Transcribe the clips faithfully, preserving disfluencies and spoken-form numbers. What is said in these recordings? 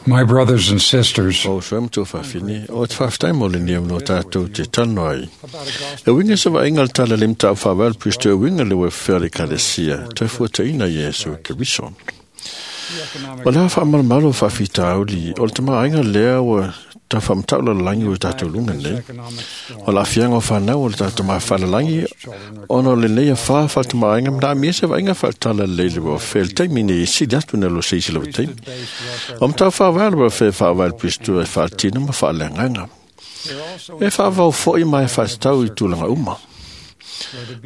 My brothers and sisters, O sua matua whawhine, o te whawhitai mo le nia no tātou te tano ai. E winga sa vainga le tala le mtau whawel pisto e winga le wewhea le kalesia, te fuata ina Yesu Keriso. O lea whaamalmalo whawhitauli, o le tama lea ua ta whamtau la langi o tātou lunga nei. O la fianga o whanau o le tātou maa whalalangi, ona o le nei a wha whatama ainga, mna amia se vainga whatala le le wa whel taimi nei sili atu na lo seisi lawa taimi. O mtau whawal wa whe whawal pistu e whatina ma whalanganga. E whawau foi mai whatau i tūlanga uma.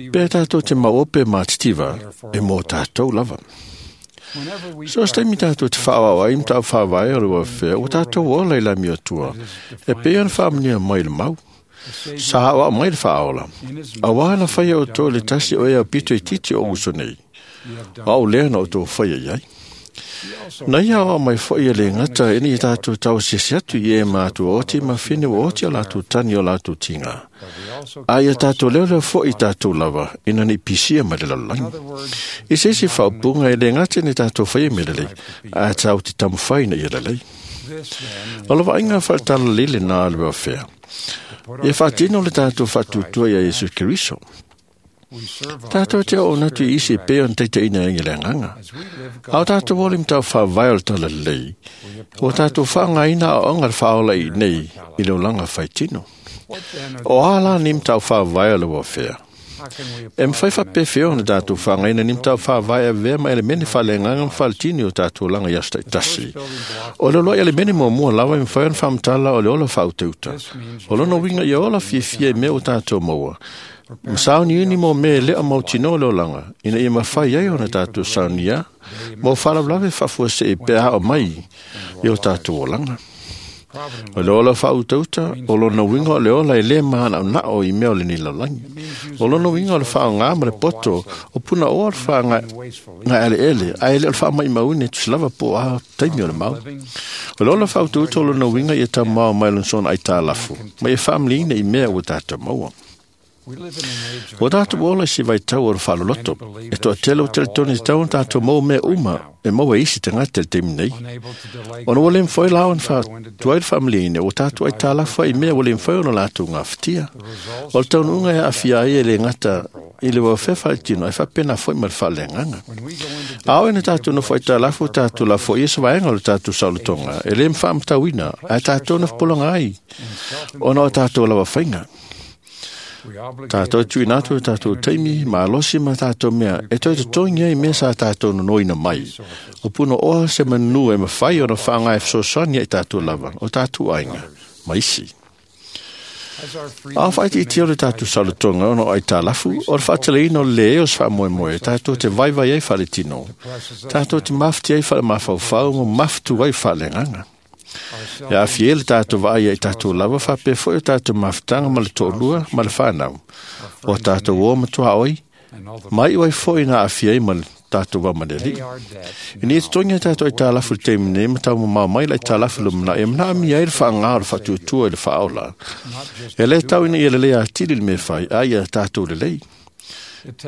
Pe tātou te maope mā titiva, e mō tātou lava. So se taimi tātou te whaawau ai, mtau whaawai o le wawhea, o tātou ola i la mea tua. E pe ana whaamania mai le mau. Sa hawa mai le whaaola. A wā na whaia o tō le tasi o ea pito i titi o uso nei. A o lea na o tō whaia iai. Na ia o mai whaia le ngata e ni tātou tau sisi atu i e mātua oti ma whine o oti o lātou tani o lātou tinga. A ia tātou leo leo fo i tātou lava, ina ni pisia mai le lalangi. I se isi whaupunga e le ngata ni tātou whaia me lelei, a tāu te tamuwhai na ia lelei. O lava inga whaatala lele nā le wawhea. E whaatino le tātou whaatutua ia Yesu Keriso. Tātou te o natu i isi e peo na teita ina ingi le nganga. Au tātou woli mtau whawai o le tala lei. O tātou whangaina o onga le whaola i nei i le olanga whaitino. O ala ni mtau whawai o le wawhea. E mwhai whapewheo na tātou whangaina ni mtau whawai a vea ma elemene whale nganga mwhalitini o tātou langa i asta i tasi. O le loa elemene mua mua lawa i mwhai ona whamtala o le ola whauteuta. O lono winga i ola fiafia i mea o tātou maua. Masauni uni mo me lea mau tino le olanga, ina ia mawhai ai ona tātou saunia, mo wharawlawe whafua se e pea o mai i o tātou olanga. O le ola whautauta, o lona winga o le ola e le mahana o nao i mea o le ni lalangi. O lona winga o le whaonga ma le poto, o puna oa le whaonga ngā ele ele, a ele o le whaamai maune tusilava po a taimi o le mau. O le ola whautauta o lona winga i e tau mao mai lonsona ai tā lafu, ma e whaamliina i mea o tātou maua. O tātou ola si vai tau o le whaloloto. E toa tele o tele tone tau o tātou mau mea uma e maua isi te ngā tele teimi nei. Ona o le mwhai lao an wha tuai le whamliine o tātou ai tā lafua i mea o le mwhai ona lātou ngā whitia. O le taunu unga e awhia ai e le ngata i le wawhea whaitino ai whapena fwoi ma le whalenganga. Ao ina tātou no whai tā lafu tātou la fwoi e sawaenga o le tātou saulotonga e le mwhaamtauina ai tātou na whapolonga ai ona o tātou lawa whainga. Tātou tui nātou tātou teimi, mālosi ma tātou mea, e toi te toingia i mea sa tātou nonoina mai. O puno oa se manu e mawhai o na whangai whasosania i tātou lava, o tātou ainga, maisi. A whaiti i teo le tātou salutonga ono ai tā lafu, o le whaataleina o le o se whaamoemoe, tātou te vaivai ai whaletino, tātou te mawhiti ai whale mawhauwhau, mo mawhtu ai whalenganga. E a fiele tātou vaai ai tātou lava whape foi o tātou mawhitanga ma le tōlua ma le whanau. O tātou o matua oi, mai wai foi nā a fiei ma le tātou wamaneli. I ni e tongia tātou ai tā lafu le teimi nei, ma tau mamau mai lai tā lafu le mana, e mana ami ai le whaangā o le whatuatua i le whaola. E le tau ina i le lea atili le me whai, a ia tātou le lei.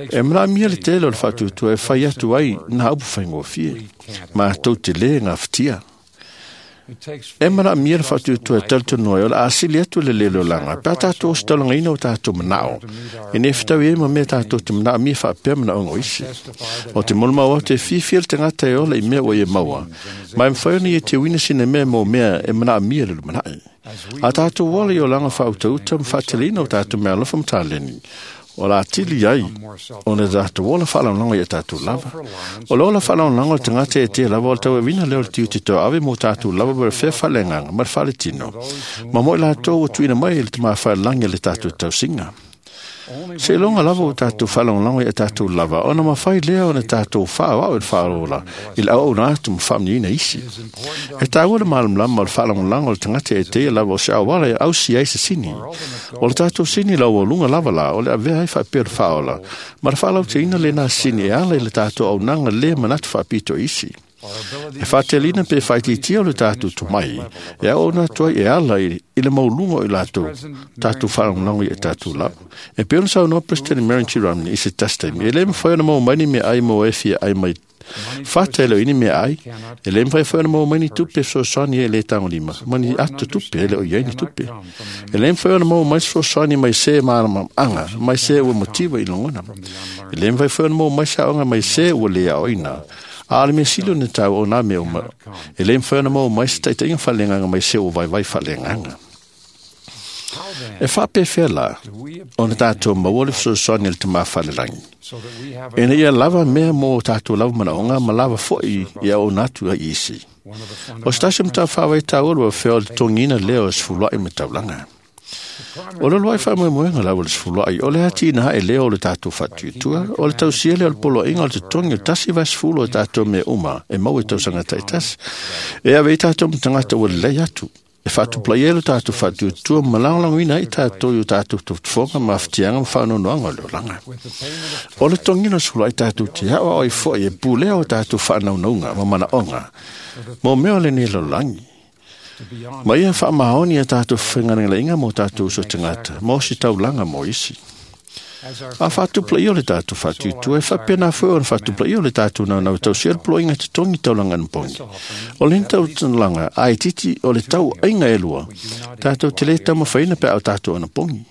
E mana amia le tele o le whatuatua e whai atu ai nā upu whaingofie, ma tau te le ngā whitia. E mana amia le whatuatua e tautonoa o le asili atu le lelo langa. Pea tātou o stalanga ina o tātou manao. E ne whitau e ma mea tātou te mana amia whaapea mana ongo isi. O te molma o te whiwhia le tangata e ola i mea o e maua. Mai mwhai ona i e te wina sine mea mō mea e mana amia le lumanae. A tātou wala i o langa whautauta mwhatelina o tātou mea alofa mtaleni. O la tili ai, o ne tātou ola whaalaunanga i a tātou lava. O le ola whaalaunanga o te ngate e te lava o le tau e wina leo le tiu te tau ave mō tātou lava ma le whea whalenganga, ma le whaletino. Ma moi lātou o tuina mai le te maa whaelangi le tātou tausinga. Se longa lava o tātou whaalaunanga i a tātou lava, ona mawhai lea o ne tātou whaawau e le whaalola, i le au nā atu mwhamniina isi. E tāua le malamlama o le whaalaunanga o le tangata e te lava o se awala e ausi ai se sini. O le tātou sini lau o lunga lava la, o le avea ai whaapea le whaola, ma le whaalau te ina le nā sini e ala i le tātou au nanga le manatu whaapito isi. E whaatelina pe whaititia o le tātou tomai, e au ona tua e ala i, i le maulunga o i lātou, tātou whaangonango i e tātou lau. E pe ona sau no President Marion G. Romney i se tastemi, e le mwhai ona mau maini me ai mo e fia ai mai whātelo ini me ai, e le mwhai whai ona mau maini tupe fesoasoani e le tango lima, mani atu tupe, e le o iaini tupe. E le mwhai ona mau mai fesoasoani mai se maarama anga, mai se ua motiva i longona. E le mwhai whai ona mau mai saonga mai se ua le ao ina. A le mea silo na tau o nā mea uma. E le mwhai ona mau mai se taitainga whalenganga mai se o vai vai whalenganga. E whapewhea la, o na tātou maua le fesoasoani le te mawhalerangi. E na ia lava mea mō tātou lava manaonga, ma lava foi ia o nātu a isi. O se tasi mta whawai tāua lua whea o le tongina leo o sefuluai ma taulanga. O le luai whamoemoenga lau o le sefuluai, o le hati ina e leo o le tātou whatuitua, o le tausia leo o le poloinga o le tongi o tasi vai sefulu o tātou mea uma, e mau e tausanga taitasi. E ave i tātou mtangata ua lei atu. E whaatuplai e lo tātou whatuitua ma langlanguina i tātou i o tātou tautufonga ma awhitianga ma whaanonoanga o le olanga. O le tongina sefuluai tātou te hao o i foi e pulea o tātou whaanaunauga ma manaonga. Mō mea o le nei lalolangi. Ma ia whaamaoni a tātou whainganenga mō tātou uso tangata, mō si taulanga mō isi. A whaatuplai o le tātou whatuitua, e whapena fue o le whaatuplai o le tātou nau nau tau sel ploinga te tongi taulanga npongi. O le taulanga ai titi o le tau ainga e lua, tātou te le tamawhaina pe au tātou anapongi.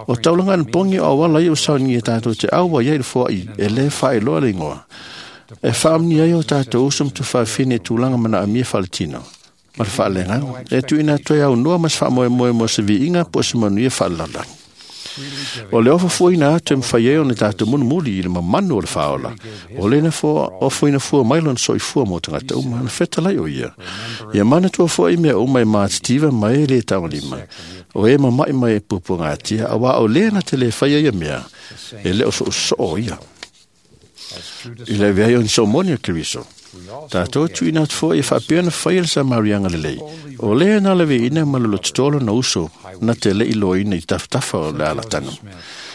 O taulanga npongi o awala i o saungi e tātou te aua iai le fua i, e le whaeloa le ingoa. E whaamni ai o tātou usum tu whawhine tūlanga mana amia whaletino. Ma le whaalenganga, e tuina toe au noa mas whaamoemoe mo se viinga po se manuia whaalalangi. O le ofa fuaina atu e mwhai e o ne tātou munumuli i le mamanu o le whaola. O le na fua, o fuaina fua mailon so i fua mō tangata uma, na whetalai o ia. Ia mana tua fua i mea uma e mātitiva mai e le tamalima. O e mamai mai e pupu ngātia, a wā o le na te le whaia ia mea, e leo so so o ia. I le vea i o ni so moni o Keriso. Tātou tuina atu fua i whapea na whai le Samarianga le lei. O le na lewe ina ma lolo titolo na uso na te le ilo ina i taftafa o le alatano.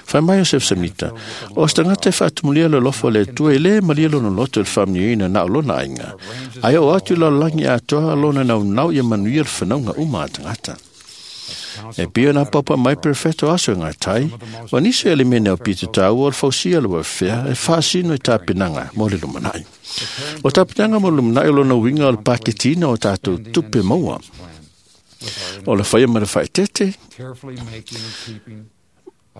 Whai mai o Sef Samita, o stangata e whaatumulia le lofo le tua i le malia lono loto le whamni ina na o lona ainga. Ai o atu la langi atoa lona nau nau ia manuia le whanauga uma a tangata. E pio na papa mai perfecto aso ngā tai, wa nisi ele mene o pito tāua o le fausia le wafea e whaasino i tāpinanga mō le lumanai. O tāpinanga mō le lumanai o lona winga o le paketina o tātou tupe maua. O le whaia ma le whaetete,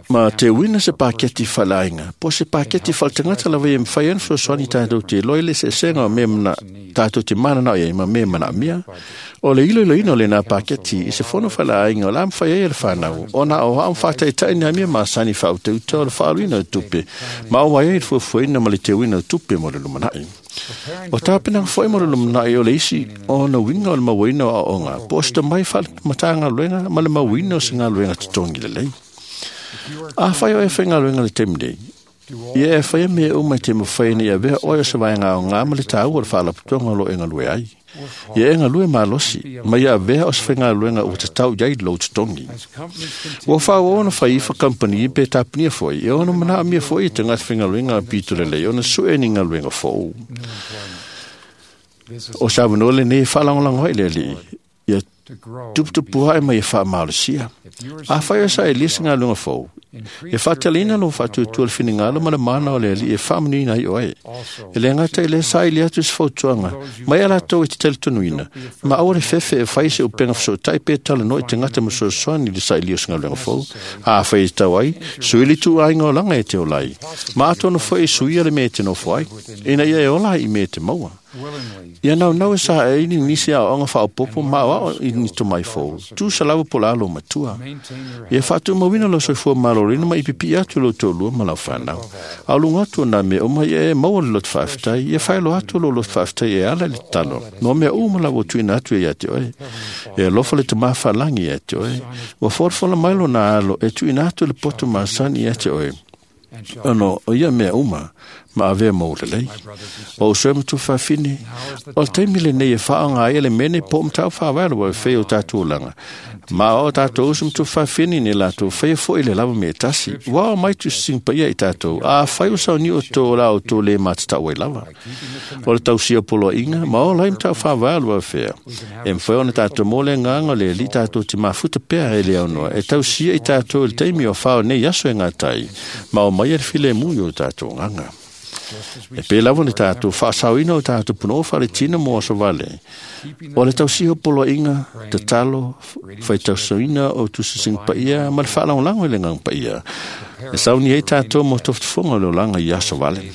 ma te wina se paketi whalainga, po se paketi whaletangata lawa e mwhai anu fesoasoani tātou te loi le se senga o me mana, tātou te mana nao ia ma me mana mia. O le ilo ilo ino le nā paketi i se fono whalainga o la mwhai e le whanau, o nā o haam whātaitai nā mea masani whaute uta o le whaaluina o tupe, ma o wai e le fuafuaina ma le te wina o tupe mo le lumanai. O tāpinanga fwai mo le lumanai o le isi o na winga o le mawina o aonga, po o sita mai whamatanga luenga ma le mawina o se ngā luenga te tongi le lei. A whai o e whai ngā luenga le temne. Ia e whai me o mai te mwhai ni a wea oe o se vai ngā o ngā ma le tāu o le whaalaputonga lo e ngā lue ai. Ia e ngā lue malosi, ma ia wea o se whai ngā luenga o te tau iai lo te tongi. Ua whao ona whai iwha kampani pe tāpnia fwoi, e ona mana amia fwoi te ngā whai ngā luenga a pito le lei, ona sue ni ngā luenga fōu. O sa wanole nei whalangolango hai le li, ia tuputupu hae mai e wha maalosia. A whai o sa e lisa ngā lunga fōu. E whātalina lo whātuatua le whiningalo ma le mana o le ali e whaamanina i oe. E le ngata i le sa i le atu se fautuanga. Mai ala tau i te teletonuina. Ma aua le fefe e whai se upenga whasotai pe tala no i te ngata ma soasoani le sa i lio se ngā lunga fōu. A whai i tau ai, suili tu ainga o langa e te olai. Ma atono fo e suia le me te nofo ai. Ina ia e ola i me te maua. Ia nau nau e sa e ini nisi a onga whaopopo ma o i ni to mai fōu. Tu sa lawa po lalo matua. Ia whātu mawina lo soifua malorina ma ipipi atu lo tōlua ma lau whanau. A lunga atu nā mea uma ia e maua le lot whaaftai, ia whailo atu lo lot whaaftai e ala le talo. No mea uma la o tuina atu e ia te oe. E alofa le te mawhalangi ia te oe. Ua fōrfola mai lo nā alo e tuina atu le poto masani ia te oe. Ono, o ia mea uma, Ma avea mo lelei. O uso e matuafafine, o le taimi lenei e whaanga ai le mene po mtau whawala wa whea o tātou langa. Ma o tātou uso matuafafine ni lātou whea fo ile lava me tasi. Wao mai tu sing paia i tātou. A whai o sau ni o tō la o tō le mātatau e lava. O le tausia polo inga, ma o lai mtau whawala wa whea. E mwhai o na tātou mole nganga le li tātou te mafuta pea e le aunoa. E tausia i tātou le taimi o whao nei aso e ngā tai. Ma o mai e file mui o tātou nganga. E pē lava ni tātou whaasauina o tātou puno whare tina mo aso vale. O le tausiho polo inga, te talo, whai tausaina o tusising paia, ma le whaalanglango i le ngang paia. E sauni ei tātou mo toftufonga le olanga i aso vale.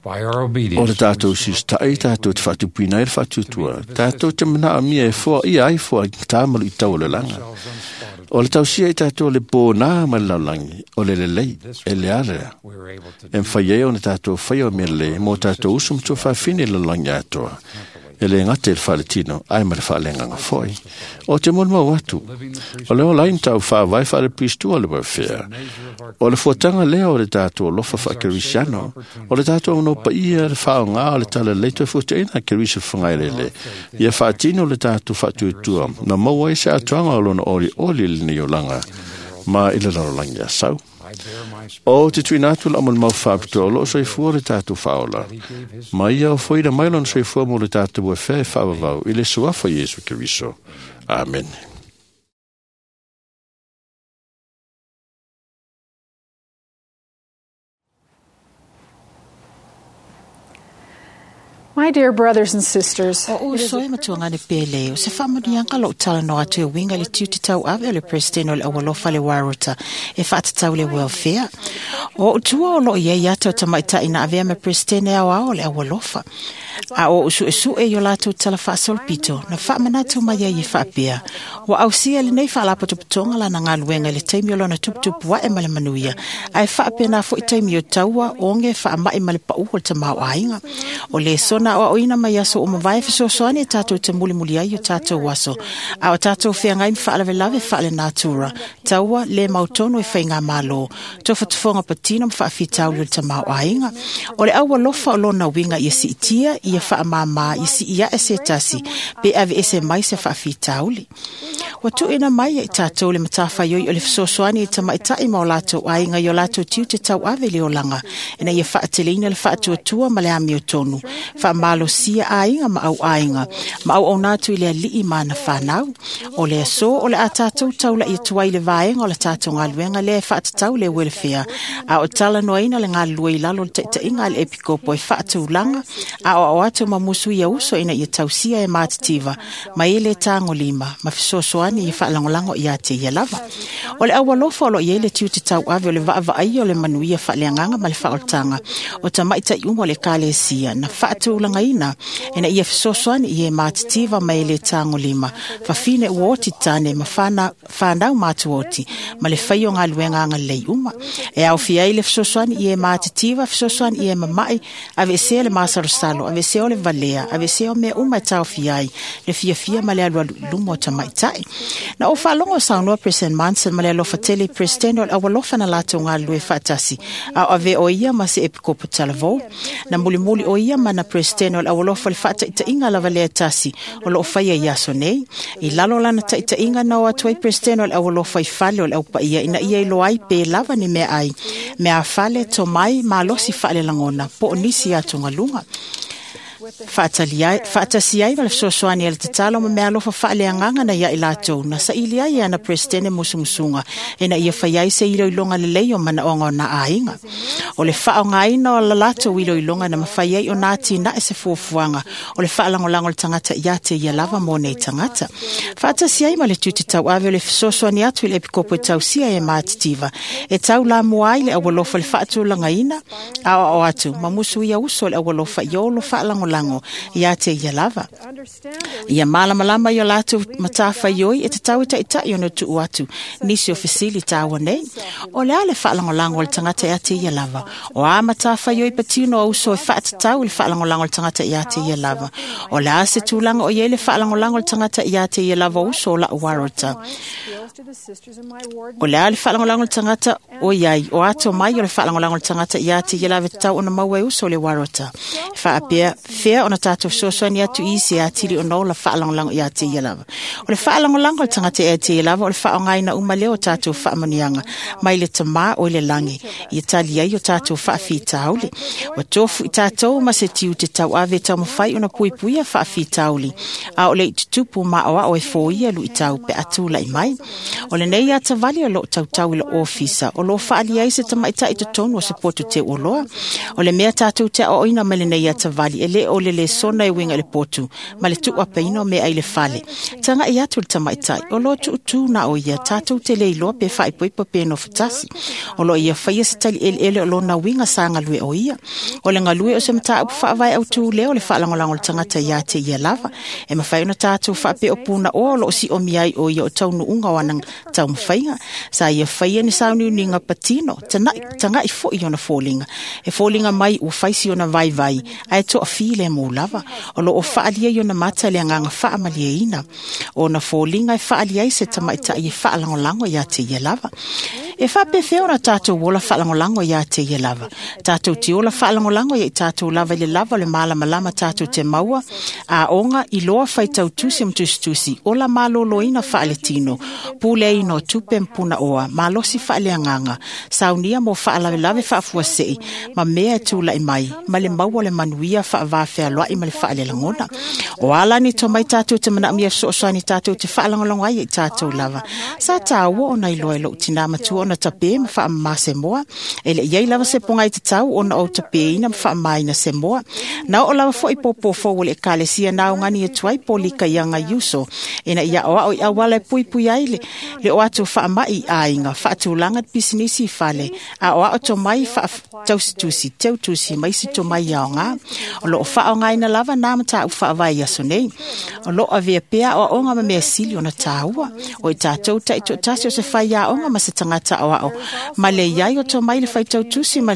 O le tātou sistai, tātou te whaatupina e le whaatutua. Tātou te mana amia e foa ia ai foa tāmalu i tau o le langa. O le tausia i tātou le pōnā ma le laulangi, o le lelei, e le area. E mwhai e o ne tātou whai o mea le, mō tātou usu mtua whawhine le laulangi atoa. E le ngate le whaletino, ai ma le whalenganga foi. O te monu mau atu, o le olain tau whawai whale pristua le wawhea. O le fuatanga lea o le tātou lofa whakerisiano, o le tātou ono paia le whaonga o le tala leito e fuataina kerisa whangailele. Ia whaatino le tātou whaatuatua, na maua i se atuanga o lona ori ori le nei olanga, ma i le larolangi a sau. O te tuina atu la amal mau whaapitoa, o loo soifua le tātou whaola. Ma ia o foida mai lona soifua mo le tātou e whae whaavavau, i le suafa Iesu Keriso. Amen. My dear brothers and sisters, o uso e matuangane pele o se whaamanianga lo tala no atu e winga le tiuti tau ave o le president o le awalofa le warota e whaatatau le welfare. O tua o lo ia ia tau tamaita ina avea me president e au ao le awalofa. A o usu e su e yo lātou tala whaasolopito na whaamanatu mai ai e whaapea. Wa ausia le nei whaalapotopotonga la na ngā luenga le taimi o lona tuputupu wae ma le manuia. A e whaapea nā fo i taimi o taua onge whaamai ma le pau o le tamau ainga. O le sona o oina mai aso o mawai fesoasoani e tātou te mulimuli ai o tātou aso. A o tātou wheangai mwhaalawelawe whaale natura. Taua le mautono e whai ngā malo. Tōwhatufonga patino mwhaawhitauli o le tamau ainga. O le aua lofa o lona winga ia si itia, ia whaamama, ia si ia e se tasi, pe ave ese mai se whaawhitauli. Wa tuina mai e tātou le matawhaioi o le fesoasoani e tamaitai ma o lātou ainga i o lātou tiu te tau ave le olanga. Ina ia whaateleina le whaatuatua ma le amio tonu. Whaamalosia ainga ma au ainga. Ma au aunatu i le alii mana whanau. O le aso o le a tātou taula i tuai le vaenga o le tātou ngā luenga le whaatatau le welfare. A o tala noaina le ngā lua i lalo le taitainga le epikopo e whaatulanga. A o au atu ma musu ia uso ina ia tausia e mātitiva. Ma ele tāngo lima. Ma fesoasoani i whaalangolango i a te ia lava. O le awalofa o lo ia le tiu te tau ave o le vaavaai o le manuia whaaleanganga ma le whaoltanga. O tamaita i umo le kalesia na whaatulanga ina ia fesoasoani i e mātitiva ma ele tāngo lima. Whawhine uoti tāne ma whana, whanau mātuoti ma le whaio ngā luenga anga lei uma. E au whiai le fesoasoani i e mātitiva, fesoasoani i e mamai, ave esea le māsarosalo, ave esea o le valea, ave esea o mea uma e tau whiai, le fiafia ma le alualu lumo o tamaitai. Na o whaalongo saunoa President Manson ma le alofa tele President o le awalofa na lātou ngā lue whaatasi. A o ave o ia ma se epikopo talavou. Na mulimuli o ia ma na President o le awalofa le whaataitainga lava lea tasi o loo whaia i aso nei. I lalo lana taitainga na o atuai President o le awalofa i fale o le aupaia ina ia i loai pe lava ni mea ai. Mea fale to mai malosi whaale langona po o nisi atu ngalunga. Whaatasi ai ma le fesoasoani a le tatalo ma mea alofa whaaleanganga na ia i lātou na sa ili ai ana presidente musumusunga ina ia whai ai se iloilonga lelei o manaonga o nā ainga. O le whaongaina o la lātou iloilonga na mawhai ai o nā tina e se fuafuanga o le whaalangolango le tangata ia te ia lava mō nei tangata. Whaatasi ai ma le tū te tau ave o le fesoasoani atu i le epikopo e tausia e mātitiva. E tau la mua ai le awalofa le whaatulanga ina a o atu ma musu ia uso le awalofa i olo whaalangolango faalagolago ia te ia lava. Ia malamalama i o latou matafaioi e tatau e taʻitaʻi ona tuʻu atu nisi o fesili taua nei. O le a le faalagolago o le tagata ia te ia lava? O a matafaioi patino o uso e faatatau i le faalagolago o le tagata ia te ia lava? O le a se tulaga o iai le faalagolago o le tagata ia te ia lava o uso o la'u warota? O le a le faalagolago o le tagata o iai o ato mai o le faalagolago o le tagata ia te ia lava e tatau ona maua e uso o le warota? E faapea fea ona tatou fesoasoani atu i isi e atili ona ola faalagolago ia te ia lava. O le faalagolago o le tagata ia te ia lava o le faaaogaina uma lea o tatou faamanuiaga mai le Tamā o i le lagi ia tali ai o tatou faafitauli. Ua tofu i tatou ma se tiute tauave e taumafai ona puipuia faafitauli, a o le i tutupu maoao e foia luitau pe a tulai mai. O lenei atavali o loo tautau i le ofisa, o loo faalia ai se tamaitaʻi totonu o se potu teuoloa. O le mea tatou te aoaoina mai lenei atavali e lē o le lesona e uiga i le potu ma le tuuapeina o meaai le fale. Tagaʻi atu le tamaitaʻi o loo tuutū na o ia tatou te le iloa pe faaipoipo pe nofotasi. O loo ia faia se tali eleele o lona uiga sa galue o ia. O le galue o se mataupu faavae autū lea o le faalagolago o le tagata ia te ia lava. E mafai ona tatou faapea o punaoa o loo siomia ai o ia o taunuuga o ana taumafaiga. Sa ia faia ni sauniuniga patino, tagaʻi foʻi ona foliga. E foliga mai ua faisi ona vaivai, ae toafī le mou lava. O loo faalia i ona mata le agaga faamalieina. Ona foliga e faalia ai se tamaitaʻi e faalagolago ia te ia lava. E faapefea ona tatou ola faalagolago ia te ia lava? Tatou te ola faalagolago ia i tatou lava i le lava o le malamalama tatou te maua, aoga iloa faitautusi ma tusitusi, ola malōlōina faaletino, puleaina o tupe ma punaoa, malosi faaleagaga, saunia mo faalavelave faafuasei, ma mea e tulaʻi mai, ma le maua o le manuia faavafealoaʻi ma le faalelagona. O ala ni tomai tatou te manaomia fesoasoani tatou te faalagolago ai ia i tatou lava. Sa tāua ona iloa e lou tinā matua ona tapē ma faamamā se moa. E le iai lava se pogai tatau ona ou tapēina ma faamāina se moa. Na oo lava foʻi pōpō fou o le ekalesia na aogani atu ai polika ia agai uso. Ina ia aoao i auala e puipui ai le, le o atu faamaʻi i aiga, faatulaga le pisinisi i fale, aoao tomai faatausitusi, teutusi ma isi tomai aogā. O loo faaaogaina lava na mataupu faavae i aso nei. O loo avea pea aoaoga ma mea sili ona tāua. O i tatou taitoatasi o se faiaoga ma se tagata aoao. Ma le iai o tomai le faitautusi ma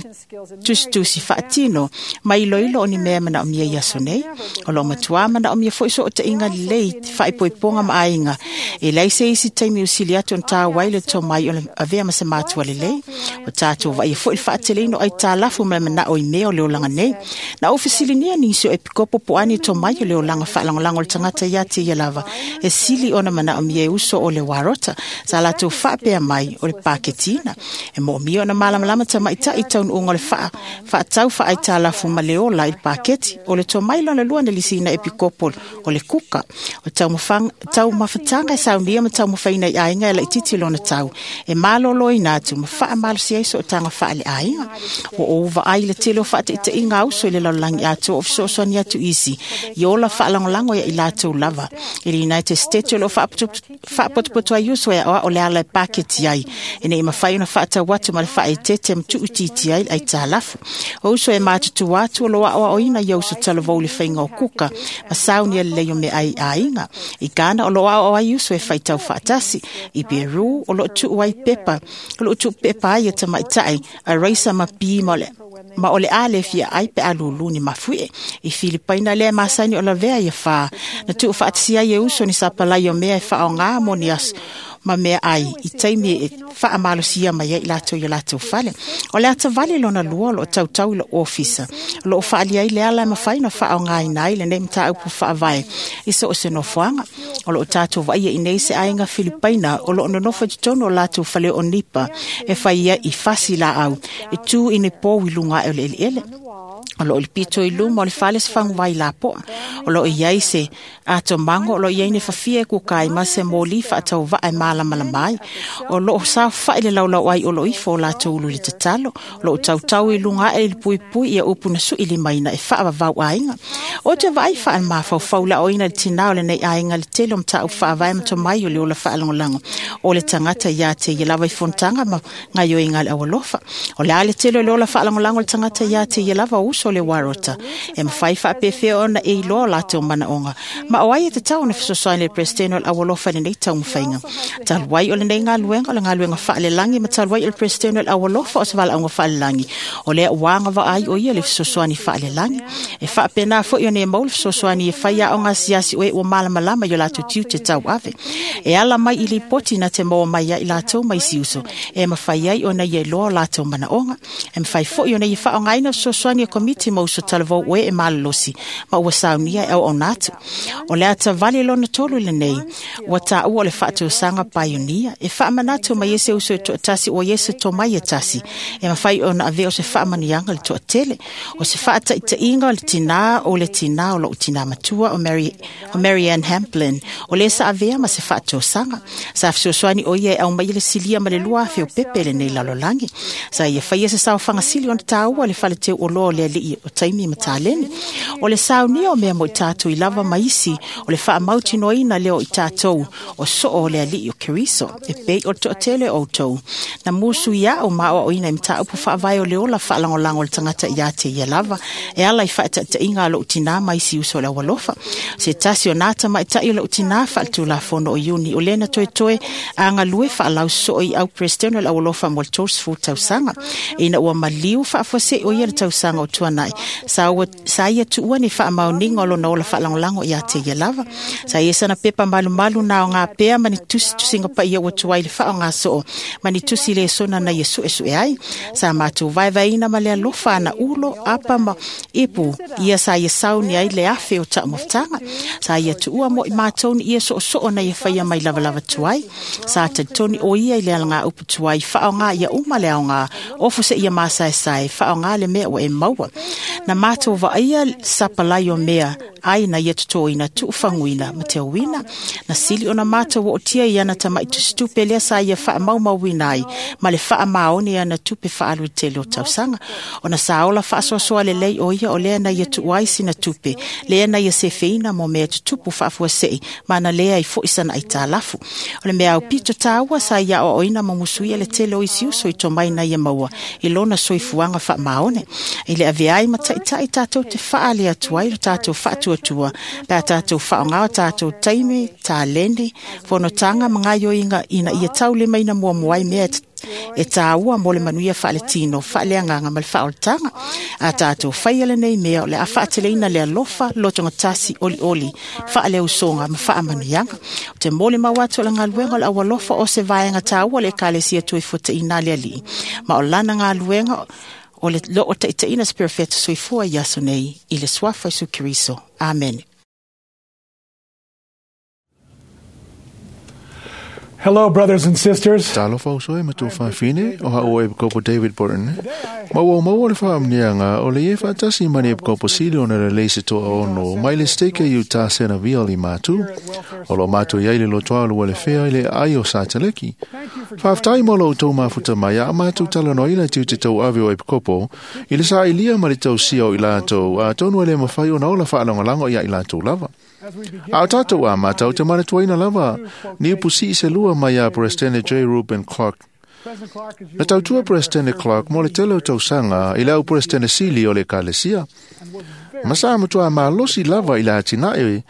tusitusi faatino ma iloilo o ni mea manaomia i aso nei. O loo matuā manaomia foʻi sootaiga lelei faaipoipoga ma aiga. E leai se isi taimi usili atu ona tāua ai le tomai o le avea ma se matua lelei. O tatou vaaia foʻi le faateleina o aitalafu ma le manao i mea o le olaga nei. Na ou fesiligia nisi o epikopo po o a ni tomai o le olaga faalagolago o le tagata ia te ia lava e sili ona manaomia e uso o le warota. Sa latou faapea mai o le paketina. E moomia ona malamalama tamaitaʻi taunuuga o le faa faatau faaitalafu ma le ola i le paketi. O le tomai lona lua na lisiina epikopo o le kuka. O taumafataga e saunia ma taumafaina i aiga e laititi lona tau. E malōlōina atu ma faamalosi ai sootaga faaleaiga. Ua ou vaai le tele o faataitaiga auso i le lalolagi atoa o fesoasoani atu isi i ola faalagolago ia i latou lava. I le United States o loo faapotopoto ai uso e aoao le ala e paketi ai, ina ia mafai ona faatau atu ma le faaetete ma tuuitiiti ai le aitalafu. O uso e matutua atu o loo aoaoina ia uso talavou i le faiga o kuka ma saunia lelei o meaai i aiga. I Ghana o loo aoao ai uso e faitau faatasi. I Peru o loo tuu ai pepa, o loo tuu pepa ai e tamaitaʻi a raisa ma pi ma o le ma o le a le fia ai pe a lulu ni mafuie. I Filipaina lea masani o lavea ia whā. Na tuu faatasia ai e uso ni sapalai o mea e whaonga mo ni aso ma mea ai i taimi e faamalosia mai ai i latou i o latou fale. O le atavali lona lua o loo tautau i le ofisa. O loo faalia ai le ala e mafai ona faaaogaina ai lenei mataupu faavae i so o se nofoaga. O loo tatou vaaia i nei se aiga Filipaina o loo nonofo i totonu o latou fale o nipa e fai ai i fasi laau e tu i ni pou i luga ae o le eleele. O loo le pito i luma o le fale se faguvai lapoa. O loo iai se atomago o loo iai ni fafia e kukai ma se moli faatauvaa e malamalama ai. O loo saofaʻi le laulau ai o loo ifo o latou ulu i le tatalo. O loo tautau i luga ae i le puipui ia upu na sui limaina e faavavau aiga. O te vaai faalemafaufau laoina le tinā o lenei aiga le tele o mataupu faavae ma tomai o le ola faalagolago o le tagata ia te ia lava i fonotaga ma gaoioiga a le aualofa. O le a le tele o le ola faalagolago o le tagata ia te ia lava o uso o le Warota e mafai faapefea ona e iloa o latou manaoga ma o ai e tatau ona fesoasoani le Peresetene o le Aualofa i lenei taumafaiga. Talu ai o lenei galuega o le galuega faalelagi ma talu ai o le Peresetene o le Aualofa o se valaauga faalelagi o lea ua agavaa ai o ia le fesoasoani faalelagi e faapena foi ona e maua le fesoasoani e fai aoga asiasi o e ua malamalama i o latou tiute tauave e ala mai i lipoti na te maua mai ai latou mai isi uso e mafai ai ona ia iloa o latou manaoga e mafai foi ona ia faaaogaina fesoasoani a komiti ma uso talavou o e e malolosi ma ua saunia e auauna atu. O le atavale lona tolu lenei ua taua o le faatosaga paionia e faamanatu mai e se uso e toatasi ua ia se tomai e tasi e mafai ona avea o se faamanuiaga le toatele o se faataitaiga o le tinā o le tinā o lou tinā matua o Mary, o Mary Ann Hamplin o le sa avea ma se faatosaga sa fesoasoani o ia e aumai le silia ma le lua afe o pepe lenei lalolagi sa ia faia se saofagasili ona taua le faleteu oloa o le alii o taimi ma taleni o le saunia o mea mo i tatou i lava ma isi o le faamautinoaina lea o i tatou o soo o le alii o Keriso e pei o le toatele o outou na musu ia o maoaoina i mataupu faavae o le ola faalagolago o le tagata ia te ia lava e ala i faataitaiga a lou tinā ma isi uso o le aualofa se tasi o nā tamaitai o lou tinā faaletulafono o Iuni o lena toetoe agalue faalausoso i au Peresetene o le Aualofa mo le tolusefulu tausaga ina ua maliu faafuasei o ia le tausaga o tuanai sa, ua, sa ia tuua ni faamaoniga o lona ola faalagolago ia te ia lava sa ia sana pepa malumalu na o ngā pea ma ni tusitusiga paia ua tuai le faaaogasoo ma ni tusi le sona na ia suesue ai sa matou vaevaeina ma le alofa ana ulo apa ma ipu ia sa ia sauni ai le afe o taumafataga sa ia tuua mo i matou ni ia soosoo na ia faia mai lavalava tuai sa talitoni o ia i le alagā upu tuai faaaogā ia uma le aogā ofo se ia masaesae faaaogā le mea ua e maua na matou vaaia sapalai o mea ai na ia totoina tuufaguina ma teauina na sili ona matou ootia i ana tama'i tusitupe lea sa ia faamaumauina ai ma le faamaoni ana tupe faaalu i tele o tausaga ona sa ola faasoasoa lelei o ia o lea na ia tuua ai sina tupe lea na ia sefeina mo mea tutupu faafuasei ma na lea ai fo'i sana aitalafu o le mea aupito tāua sa ia aoaoina ma musuia le tele o isi uso i tomai na ia maua i lona soifuaga faamaone i le avea ai ma taʻitaʻi tatou te faale atu ai lo tatou faatuatua pe a tatou faaaogā o tatou taimi taleni fonotaga ma gaoioiga ina ia taulimaina muamua ai mea e tāua mo le manuia faaletino faaleagaga ma le faaolataga a tatou faia lenei mea o le a faateleina le alofa lotogatasi olioli faaleusoga ma faamanuiaga o te molimau atu o le galuega o le aualofa o se vaega tāua le ekalesia tuifuataʻina le alii ma o lana galuega o le loo taʻitaʻina se perofeta soifua i aso nei i le suafa Iesu Keriso. Amen. Hello, brothers and sisters. Talofa uso e matua whawhine o hao e kopo David Burton. Maua maua le whaamnianga o le ie whaatasi mani e kopo sili ona le leise toa ono mai le steke i uta sena via li mātu. O lo mātu iai le lotoa lua le whea i le ai o sātaleki. Whaaftai mo lo tau mafuta mai a mātu talanoa ila te ute tau ave o e kopo i le saa ilia ma le tau sia o i lātou a tonu ele mawhai o na ola whaalangwalango ia i lātou lava. A o tātou a mātou te manatuaina lava, ni upusi se lua mai a Presidente J. Reuben Clark. Na tautua Presidente Clark mo le tele o tausaga i le au Presidente Sili o le Ekalesia. Ma sa matua malosi lava i le atinae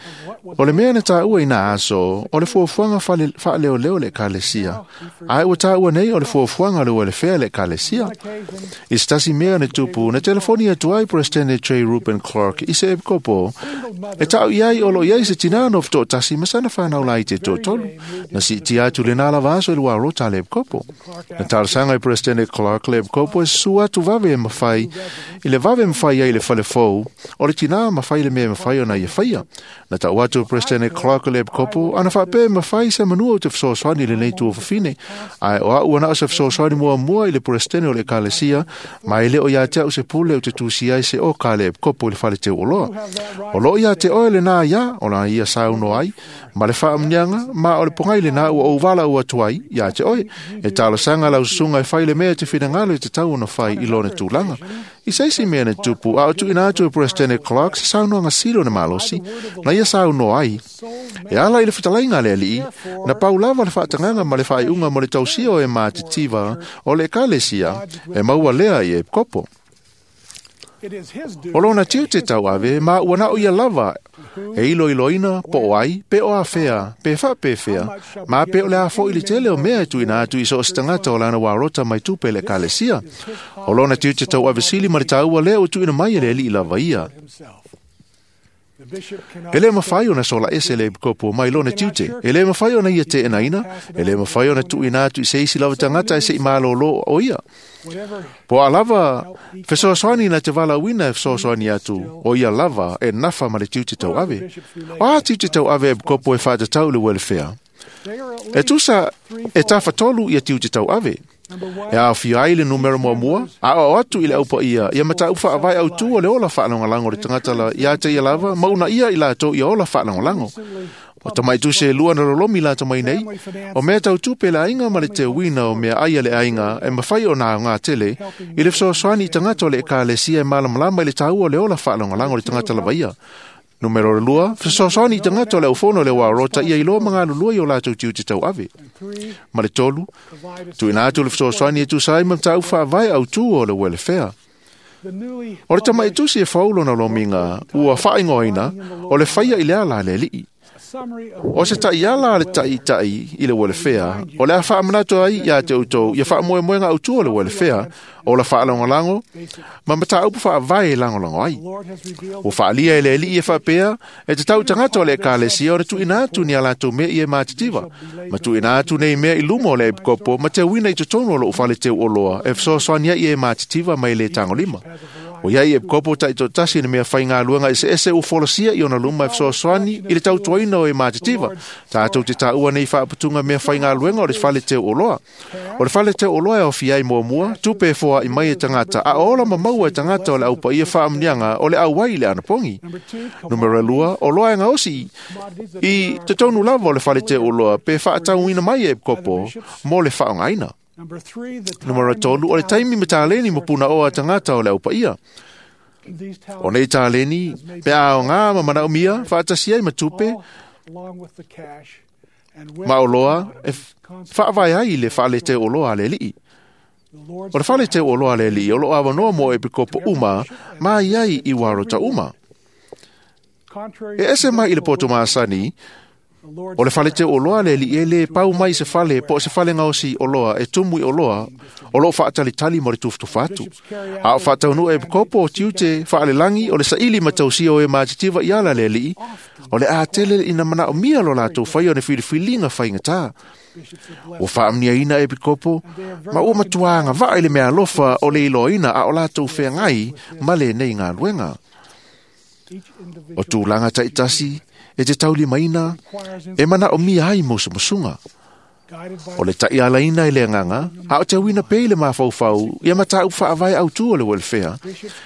o le mea na tāua i nā aso o le fuafuaga faaleoleo le Ekalesia. Ae ua tāua nei o le fuafuaga le uelefea le Ekalesia. I se tasi mea na tupu na telefoni atu ai Presidente J. Reuben Clark i se epikopo e taʻu i ai o lo i ai se tinā no fetoʻotasi ma sana whanau lai te toʻatolu. Na siitia atu lenā lava aso i lua rota le epikopo. Na talosaga i Presidente Clark le epikopo e susu atu vave e mawhai i le vave mawhai ai le falefou o le tinā mawhai le mea mawhai ona ia whaia. Na tau atu Presidente Clark le epikopo ana whaapea mawhai se manua o te fesoasoani lenei tuafafine. Ae o au ana o se fesoasoani muamua i le Presidente o le Ekalesia ma e le o ia te au se pule o te tusi ai se o ka le epikopo i le fale te uoloa. O lo ia te oe le nā ia, o la ia sauno ai, ma le whaamnianga, ma o le pongai le nā ua o wala ua tuai, ia te oe, e talosaga lau susunga e whai le mea te whinangalo i te tau ona whai i lona tūlanga. I seisi mea na tupu, a o tuina atu e Presidente Peresidene Clark se saunoaga sili o le malosi na ia saunoa ai. E ala i le fetalaiga a le Alii, na pau lava le faatagaga ma le faaiuga mo le tausia o e matitiva o le ekalesia e maua lea i epikopo. O lona tiute tauave ma ua nao ia lava e iloiloina po o ai, pe o afea, pe faapefea, ma pe o le a fo'i le tele o mea e tuuina atu i so o se tagata o lana uarota mai tupe i le ekalesia. O lona tiute tauave sili ma le taua lea ua tuuina mai e le Alii lava ia. E le mafai ona sola ese le epikopo mai lona tiute, e le mafai ona ia teenaina, e le mafai ona tuuina atu i se isi lava tagata e se'i malōlō o ia. Po a lava fesoasoani na te valaauina e fesoasoani atu, o ia lava e nafa ma le tiute tauave. O a tiute tauave e epikopo e faatatau i le welfare? E tusa e tafatolu ia tiute tauave. E aofia ai le numera muamua, aoao atu i le aupaia ia mataupu faavae autū o le ola faalagolago o le tagata la ia te ia lava ma uunaia i latou ia ola faalagolago. O tamaitusi e lua na lolomi lata mai nei, o mea tautupe le aiga ma le teuina o mea ai a le aiga e mafai ona aogā tele i le fesoasoani i tagata o le ekalesia e malamalama i le taua o le ola faalagolago o le tagata lava ia. Numero lua, fesoasoani i tagata o le aufono o le uaurota ia iloa ma galulue i o latou tiute tauave. Ma le tolu, tuuina atu le fesoasoani e tusa ai ma mataupu faavae autū o le welfare. O le tamaitusi e fou lona lomiga ua faaigoaina o le faia i le ala a le Alii. O se ta'iala a le taʻitaʻi i le welfare, o le a faamanatu ai iā te outou ia faamoemoega autū o le welfare, o la faalagolago ma mataupu faavae e lagolago ai. Ua faaalia e le Alii e faapea e tatau i tagata o le ekalesia ona tuuina atu ni a latou mea ia e matitiva, ma tuuina atu nei mea i luma o le epikopo ma teuina i totonu o lou fale teuoloa e fesoasoani ai e matitiva mai le tagolima. O iai epikopo taʻitoatasi le mea faigaluega eseese ua folasia i ona luma e fesoasoani i le tautuaina o e matitiva. Tatou te taua nei faaputuga mea faigaluega o le fale teuoloa. O le fale teuoloa e aofia ai muamua, tupe e foaʻi mai e tagata, a o ola ma maua e tagata o le aupaia faamuniaga o le auai i le anapogi. Numera lua, o loa e gaosi i totonu lava o le fale teuoloa pe faatauina mai e epikopo mo le faaaogaina. Numera tolu, o le taimi ma taleni ma punaoa a tagata o le aupaia. O nei taleni, pe aogā ma manaomia, faatasi ai ma tupe, ma oloa e faavae ai i le fale teuoloa a le Alii. O le fale teuoloa a le Alii o loo avanoa mo epikopo uma ma iai i uarota uma. E ese mai i le poto masani, o le fale teuoloa a le Alii e lē pau mai se fale po o se fale gaosi oloa e tumu i oloa o loo faatalitali mo le tufutufa atu. A o faataunuu e epikopo o tiute faalelagi o le saili ma tausia o e matitiva i ala a le Alii, o le a tele ina manaomia lo latou faia o le filifiliga faigatā. Ua faamuniaina epikopo ma ua matuā agavaa i le meaalofa o le iloaina a o latou feagai ma lenei galuega. O tulaga taʻitasi e te taulimaina e manaomia ai musumusuga. O le taʻialaina e le agaga, a o teuina pea i le mafaufau ia mataupu faavae autū o le welfare,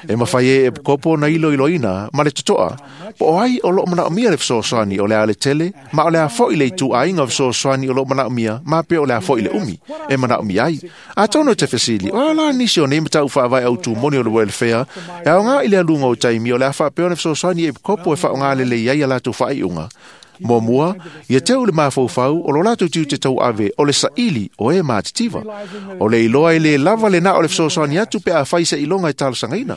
e mafai ai e epikopo ona iloiloina ma le totoa, po o ai o loo manaomia le fesoasoani o le a le tele, ma o le a foʻi le ituaiga o fesoasoani o loo manaomia, ma pe o le a foʻi le umi e manaomia ai. Atonu e te fesili, o a la nisi o nei mataupu faavae autū moni o le welfare, e aogā i le aluga o taimi o le a faapea ona fesoasoani e epikopo e faaaogā lelei ai a latou faaiuga. Muamua, ia teu le mafaufau o lo latou tiute tauave o le saili o e matitiva. O le iloa e lē lava lenā o le fesoasoani atu pe afai se iloga e talosagaina.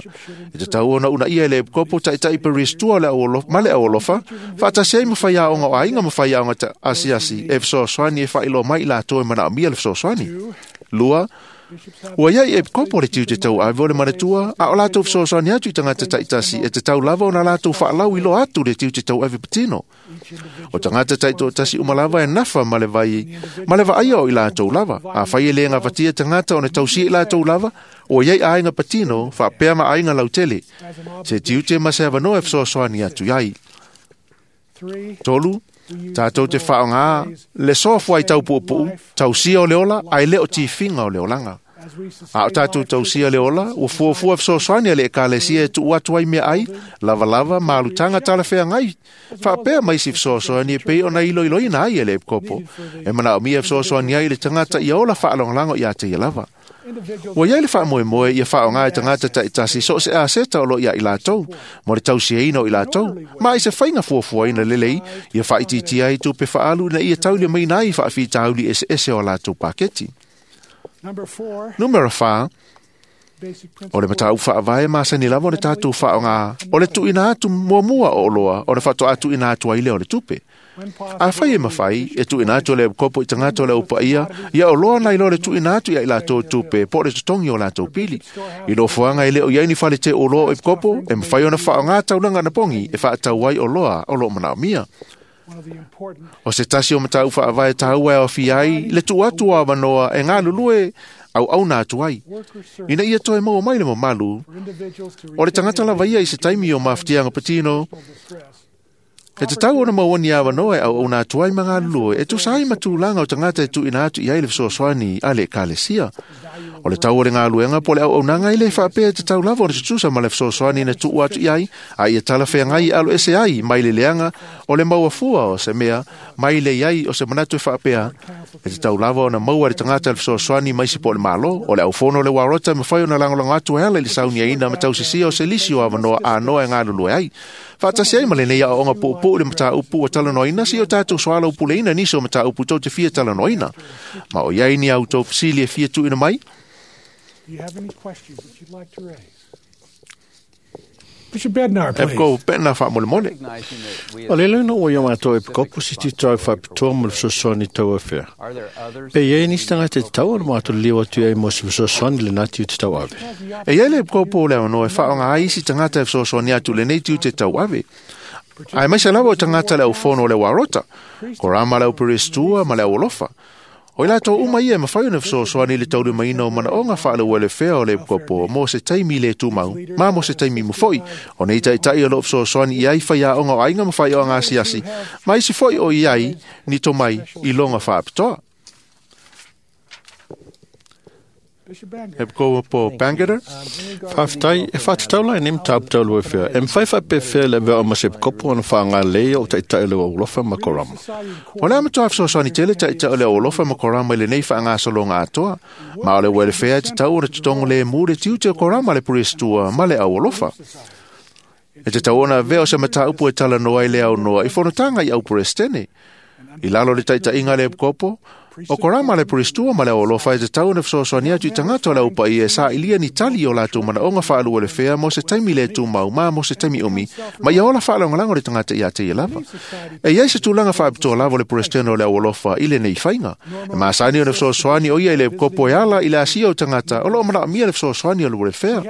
E tatau ona uunaia e le epikopo taʻitaʻi peristua o le aualofa, ma le aualofa, faatasi ai ma faiaoga o aiga ma faiaoga asiasi e fesoasoani e faailoa mai i latou e manaomia le fesoasoani. Lua, ua iai epikopo le tiute tauave o le manatua, a o latou fesoasoani atu i tagata taʻitasi e tatau lava ona latou faalau iloa atu le tiute tauave patino. O tagata taʻitoatasi uma lava e nafa ma le vai ma le vaaia o i latou lava. Afai e lē gafatia tagata ona tausia i latou lava, ua iai aiga patino faapea ma aiga lautele. Se tiute ma se avanoa e fesoasoani atu ai. Tolu, tatou te faaaogā le soa fuaitau puupuu, tausia o le ola ae le o tifiga o le olaga. A o tātou tausia le ola, ua fuafua fesoasoani a le ekalesia e tuu atu ai mea ai, lavalava ma alutaga talafeagai, faapea mai isi fesoasoani e pei ona iloiloina ai e le epikopo. E manaomia fesoasoani ai i le tagata ia ola faalagolago ia te ia lava. Ua iai le faamoemoe ia faaaoga e tagata taitasi so o se aseta o loo ia i latou, mo le tausiaina o i latou, ma i se faiga fuafuaina lelei, ia faaitiitia ai tupe faaalu ina ia taulimaina ai faafitauli eseese o a latou paketi. Numera fa, o le mataupu faavae masani lava o le tatou faaaoga o le tuuina atu muamua o oloa ona faatoa tuuina atu ai lea o le tupe. Afai e mafai e tuuina atu le epikopo i tagata o le aupaia, ia oloa nai lo le tuuina atu ia i latou tupe po o le totogi o latou pili. I nofoaga e le o i ai ni fale teu oloa o epikopo, e mafai ona faaaoga taulaga anapogi e faatau ai oloa o loo manaomia. O se tasi o mataupu faavae taua e aofia ai le tuu atu o avanoa e galulue auauna atu ai, ina ia toe maua mai le mamalu o le tagata lava ia i se taimi o mafatiaga patino, e tatau ona maua ni avanoa e auauna atu ai ma galulue e tusa ai ma tulaga o tagata e tuuina atu i ai le fesoasoani a le ekalesia. O le tau o le galuega po o le auaunaga e le faapea e tatau lava ona tutusa ma le fesoasoani na tuu atu i ai, a ia talafeagai e aloese ai mai le leaga o le mauafua o se mea mai le iai o se manatu e faapea e tatau lava ona maua le tagata le fesoasoani mai se po o le malo o le aufono o le uarota e mafai ona lagolago atu e ala i le sauniaina ma tausisia o se lisi o avanoa anoa e galulue ai. Faatasi ai ma lenei aoaoga puupuu i le mataupu ua talanoaina seia o tatou soalaupuleina nisi o mataupu tou te fia talanoaina. Ma o iai ni a outou fesili e fia tuuina mai? Do you have any questions that you'd like to raise? Bishop Bednar, please. Epiko Bednar faamolemole. O le leo ua ia mātou epikopo si tito au faapitoa mo le fesoasoani tauafea. Pe iai nisi tagata e tatau ona mātou liliu atu i ai mo se fesoasoani le nā tiute tauave. E iai le epikopo o le avanoa e faaaoga ai isi tagata e fesoasoani atu lenei tiute tauave. Ae maise lava o tagata le aufono o le uarota, korama le auperestua ma le aualofa. O i latou uma ia e mafai ona fesoasoani i le taulimaina o manaoga faaleuelefea o le epikopo mo se taimi le tumau, ma mo se taimi mofo'i, o nei taitai o loo fesoasoani i ai faiaoga o aiga ma faioga asiasi, ma isi fo'i o i ai ni tomai i loga faapitoa. Epikopo Bangerter. Faafetai e faatatau la i nei mataupu tauluafea. E mafai faapefea le avea o ma se epikopo ona faaaoga o taitai o le aualofa ma korama. O le a matoa fesoasoani tele taitai o le aualofa ma korama i lenei faagasologa atoa, ma o le uelefea e tatau ona totogo lemu le tiute o korama le purestua ma le aualofa. E tatau ona avea o se mataupu e talanoa i le aunoa i fonotaga i aupuresitene. I lalo le taitaiga a le epikopo, o korama le purestua ma le aualofa e tatau ona fesoasoani atu i tagata o le aupaia e sailiia ni tali o latou manaoga faaluelefea mo se taimi le tumau ma mo se taimi umi, ma ia ola faalagolago le tagata ia te ia lava. E iai se tulaga faapitoa lava o le puresitene o le aualofa i lenei faiga. E masani ona fesoasoani o ia i le epikopo e ala i le asia o tagata o loo manaomia le fesoasoani o le uelefea.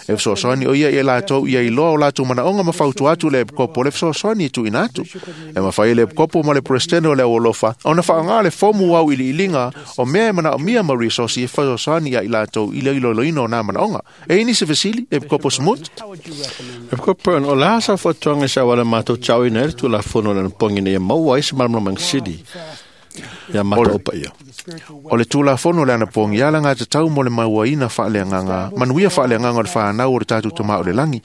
E fesoasoani o ia i latou ia iloa o latou manaoga ma fautua atu le epikopo le fesoasoani e tuuina atu. E mafai e le epikopo ma le puresitene o le aualofa ona faaaoga le fomu au iliiliga o mea e manaomia ma resource e fesoasoani ia i latou i le iloiloina o nā manaoga. E i nisi fesili, Epikopo Smoot? Epikopo Brown, o le a sa fautuaga i se auala matou tauina ai le Tulafono o le Anapogi ina ia maua ai se malamalamaga sili ia matou aupaia. O le Tulafono o le Anapogi ia alagatatau mo le mauaina faaleagaga, manuia faaleagaga o le whanau o le tātou tamā o le langi.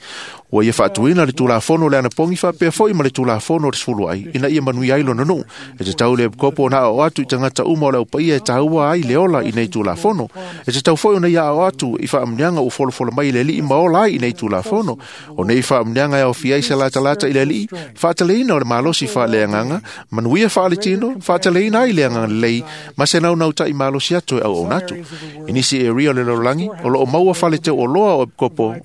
Ua ia faatuina le Tulafono o le Anapogi faapea foi ma le Tulafono o le Sefulu Ai, ina ia manuia ai lona nuu. E tatau le epikopo ona aao atu i tagata uma o le aupaia e taua ai le ola i nei Tulafono. E tatau foi ona ia aao atu i faamuniaga ua folafola mai i le alii ma ola ai i nei Tulafono. O nei faamuniaga e aofia ai se latalata i le alii, faataleina o le malosi faaleagaga, manuia faaletino, faataleina ai le agaga lelei, ma se naunautai malosi atu e auauna atu. I nisi area o le lalolagi, o loo maua fale teu oloa o epikopo,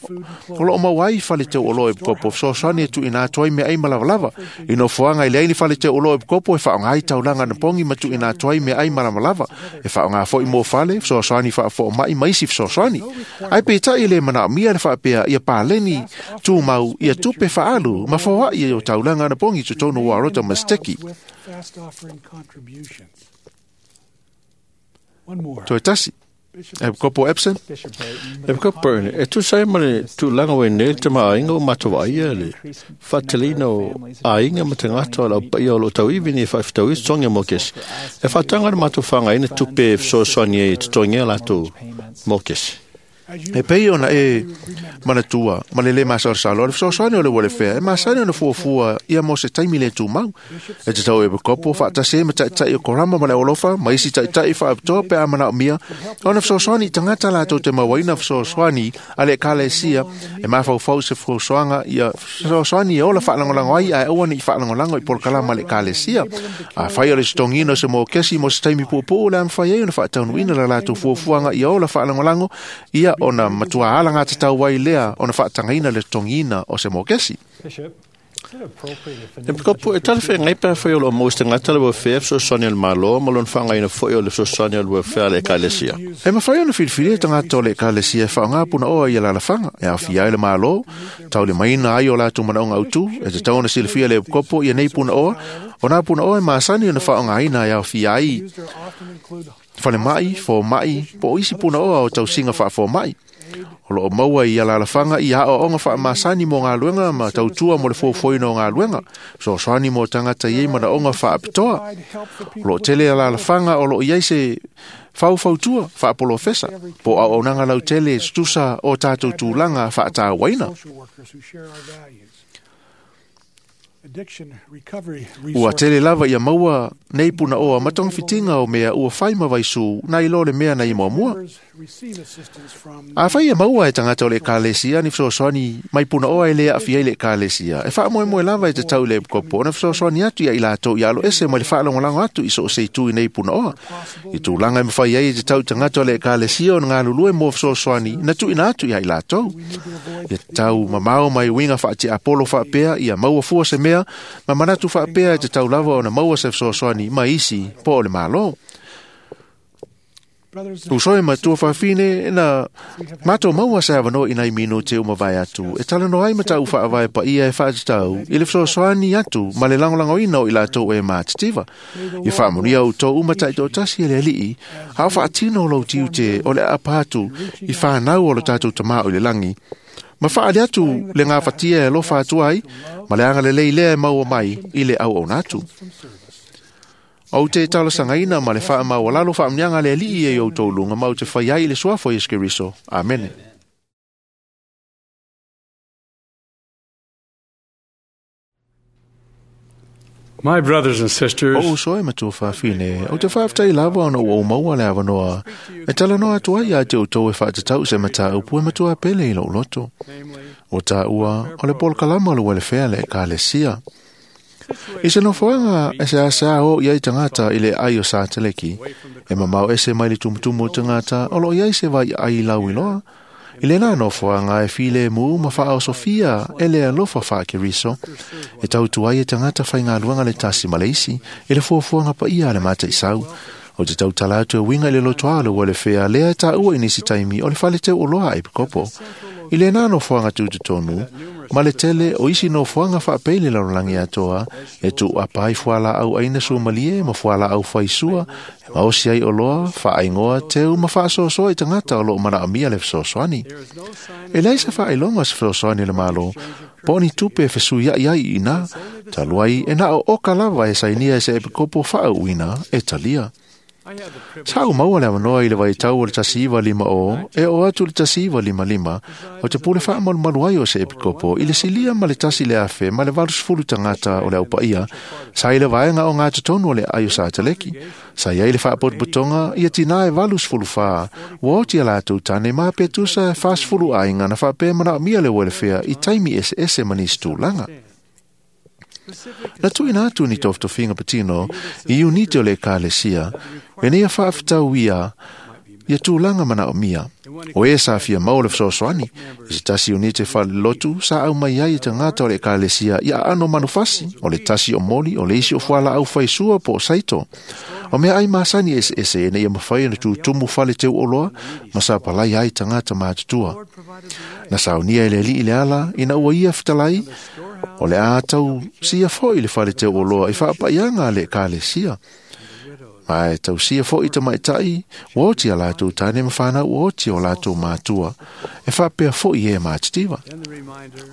o loo maua ai fale teu oloa o epikopo fesoasoani e tuuina atu ai meaai malavalava. I nofoaga i leai ni fale teu oloa o epikopo e faaaoga ai taulaga anapogi ma tuuina atu ai meaai malamalava. E faaaoga foi mo fale, fesoasoani faafoomai ma isi fesoasoani. Ae peitai e le manaomia le faapea ia paleni tumau ia tupe faaalu ma foai o taulaga anapogi i totonu o Arota ma Seteki. Fast offering contributions. One more. Toe tasi. E kopo Epson? E kopo Burton, e tusa ai ma le tulaga ua i nei le tamaoaiga ua matou vaaia le faatalina o aiga ma tagata o le aupaia o loo tauivi nei faafetaui totogi mokesi. E faataga le matou faagaina tupe e fesoasoani ai e totogia latou mokesi. E pei ona e manatua ma le lē masalosalo o le fesoasoani o le welfare e masani ona fuafua ia mo se taimi le tumau. E tatau e kopo faatasi ai ma taʻitaʻi o korama ma le olofa ma isi taʻitaʻi faapitoa pe a manaomia ona fesoasoani i tagata latou te mauaina fesoasoani a le ekalesia e mafaufau se fesoasoaga ia fesoasoani e ola faalagolago ai ae aua neʻi faalagolago i polokalama a le ekalesia. Afai o le totogiina o se mokesi mo se taimi puupuu le a mafai ai ona faataunuuina la latou fuafuaga ia ola faalagolago ia ona matua ala gatatau ai lea ona faatagaina le totogiina o se mokesi. E pikopu e talafeagai pe afai o loo maua se tagata le welfare fesoasoani a le Malo ma lona faagaina foʻi o le fesoasoani o le welfare a le ekalesia. E mafai ona filifilia tagata o le ekalesia e faaaogā punaoa ia lalafaga e aofia ai le Malo, taulimaina ai o latou manaoga autū, e tatau ona silafia le epikopo ia nei punaoa, o nā punaoa e masani ona faaaogāina e aofia ai falemaʻi, fomaʻi, po o isi punaoa o tausiga faafomaʻi. O loo maua i alalafaga ia aoaoga faamasani mo galuega ma tautua mo le fuafuaina o galuega, fesoasoani mo tagata i ai manaoga faapitoa. O loo tele alalafaga o loo i ai se faufautua faapolofesa po o auaunaga lautele e tutusa o tatou tulaga faatauaina. Ua tele lava ia maua nei punaoa ma togafitiga o mea ua fai ma vaisū nai lo le mea na i muamua. Afai e maua e tagata o le ekalesia ni fesoasoani mai punaoa e lē aafia ai le ekalesia, e faamoemoe lava e tatau i le epikopo ona fesoasoani atu ia i latou ia aloese mai le faalagolago atu i so o se itu i nei punaoa. I tulaga e mafai ai e tatau i tagata o le ekalesia ona galulue mo fesoasoani na tuuina atu ia i latou. Ia tatau mamao mai uiga faatiapolo faapea ia maua fua se mea ma manatu faapea e tatau lava ona maua se fesoasoani ma isi po o le Malo. Uso e matua faafine na matou maua se avanoa i nai minute uma vae atu e talanoa ai ma taʻu faavae paia e faatatau i le fesoasoani atu ma le lagolagoina o i latou e matitiva. Ia faamanuia outou uma taʻitoatasi e le Alii, a o faatino o lou tiute o le aapa atu i fanau o lo tatou tamā o i le lagi. Ma faali atu le gafatia e alofa atu ai, ma le agalelei lea e maua mai i le auauna atu. Ou te talosagaina ma le faamaualalo faamanuiaga a le Alii e i outou luga ma ou te fai ai i le suafa o Iesu Keriso. Amene. My brothers and sisters, O uso e matua faafine, ou te faafetai lava ona ua ou maua le avanoa e talanoa atu ai ia te outou e faatatau se mataupu e matua pele i lou loto. O taua o le polokalama o le welfare le ekalesia. I se nofoaga e se asa o i ai tagata i le ai o Sateleki, e mamao ese mai le tumutumu o tagata o loo i ai se vai ai lau iloa. I lena nofoaga e filemu ma faaosofia e le alofa faakeriso, e tautu ai e tagata faigaluega le tasi ma le isi i le fuafuaga paia a le mataisau. O te tautala atu e uiga i le lotoa o le welfare lea e taua i nisi taimi o le faleteu oloa a epikopo. I lena nofoaga tutotonu, ma le tele o isi nofoaga faapei le lalolagi atoa, e tuuapa ai fualaau aina suamalie ma fualaau faisua, e maosi ai oloa, faaigoa, teu ma faasoasoa i tagata o loo manaomia le fesoasoani. E leai se faailoga o se fesoasoani le Malo, po o ni tupe e fesuiaʻi ai i ina, talu ai e na o oka lava e sainia e se epikopo faauuina e talia. Sa ou maua le avanoa i le vaitau o le tasi iva lima o, e o atu le tasi iva lima lima, o te pule faamalumalu ai o se epikopo i le silia ma le tasi le afe ma le valusefulu tagata o le aupaia, sa i le vaega o gatotonu o le ai o Sateleki. Sa i ai le faapotopotoga ia tinā e valusefulu fā, ua oti a latou tane ma pe tusa e fasefulu aiga na faapea manaomia le welfare i taimi eseese ma nisi tulaga. Na tuuina atu ni tofitofiga patino i unite o le ekalesia, ina ia faafetau ia ia tulaga manaomia. O e sa fia maua le fesoasoani, i se tasi unite falelotu sa au mai ai e tagata o le ekalesia ia aano manufasi, o le tasi o moli, o le isi o fualaau faisua po o saito. O mea ai masani eseese ina ia mafai ona tutumu fale teu oloa ma sa palai ai tagata matutua. Na saunia e le Alii le ala ina ua ia fetalai, o le a tau sia foʻi le fale teu oloa i faapaiaga a le ekalesia. Ma e tausia fo'i tamaitai, ua oti a latou tane ma fanau ua oti o latou matua, e faapea fo'i e matitiva.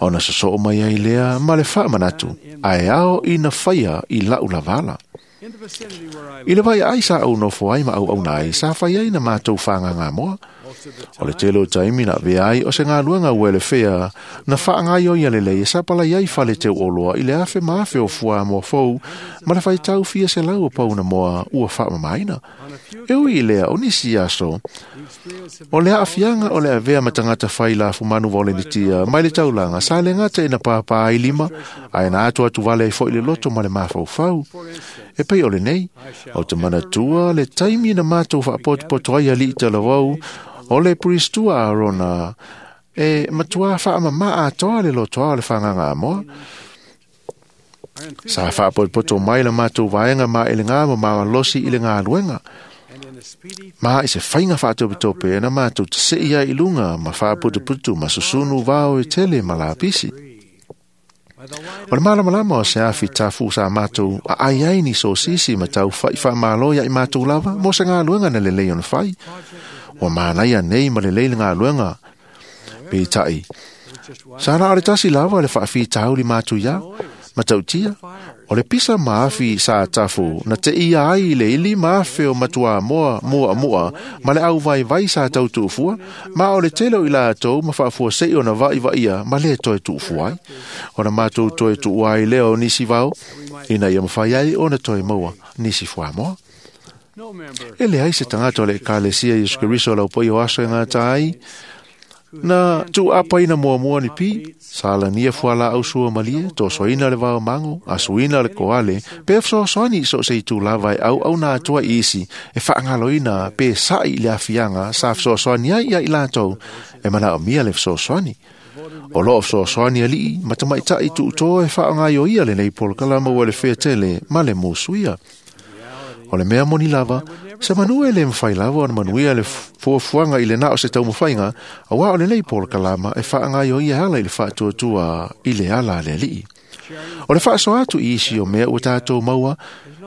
Ona sosoo mai ai lea ma le faamanatu, ae ao ina faia i la'u lavala. I le vaiaai sa ou nofo ai ma auauna ai, sa fai ai na matou fagagamoa. O le tele o taimi na avea ai o se galuega ua elefea na faagaioia lelei e sapalai ai fale teu'oloa i le afe ma afe o fuamoa fou ma le faitau fia selau o pauna moa ua faamamaina. E ui i lea o nisi aso, o le aafiaga o le avea ma tagata fai lafumanu vaolenitia mai le taulaga sa le gata ina pāpā ai lima, ae na atu atu vale ai fo'i le loto ma le mafaufau. E pei o lenei, o te manatua le taimi na matou faapotopoto ai ali'i talavou o le puristua Arona e matuā faamamā atoa le lotoa o le fagagamoa. Sa faapotopoto mai la matou vaega maelegā ma malolosi i le galuega. Ma i se faiga faatopetope na matou tase'i ai i luga ma faaputuputu ma susunu vao e tele ma lapisi. O le malamalama o se afi tafu sa matou aai ai ni sosisi ma taufa'i faamālō ia'i matou lava mo se galuega na lelei ona fai. Ua manaia nei ma lelei le galuega. Peita'i, sa na o le tasi lava le faafitauli matuiā, matautia, o le pisa ma afi sa tafu na teia ai le ili ma afe o matuamoa mu'amu'a ma le auvaivai sa tau tu'ufua, ma o le tele o i latou ma faafuase'i ona va'iva'a ma lē toe tu'ufua ai. Ona matou toe tu'ua ai lea o nisi vao, ina ia mafai ai ona toe maua nisi fuamoa. E leai se tagata o le Ekalesia Iesu Keriso o laupa'i o aso e gata ai, na tuuapaina muamua ni pi, sa lania fualaau suamalie, tosoina le vaomago, asuina le koale, pe fesoasoani i so o se itū lava e auauna atu ai i isi, e faagaloina pe sa'i i le afiaga sa fesoasoani ai ia i latou, e manaomia le fesoasoani. O loo fesoasoani ali'i ma tamaita'i tuutoa e faaaogaioia lenei polokalama ua le fetele ma le musuia. O le mea moni lava, se manu e le mafai lava ona manuia le fuafuaga i le na o se taumafaiga, auā o lenei polokalama e faagaioia e ala i le faatuatua i le ala a le ali'i. O le faasoa atu i isi o mea ua tatou maua,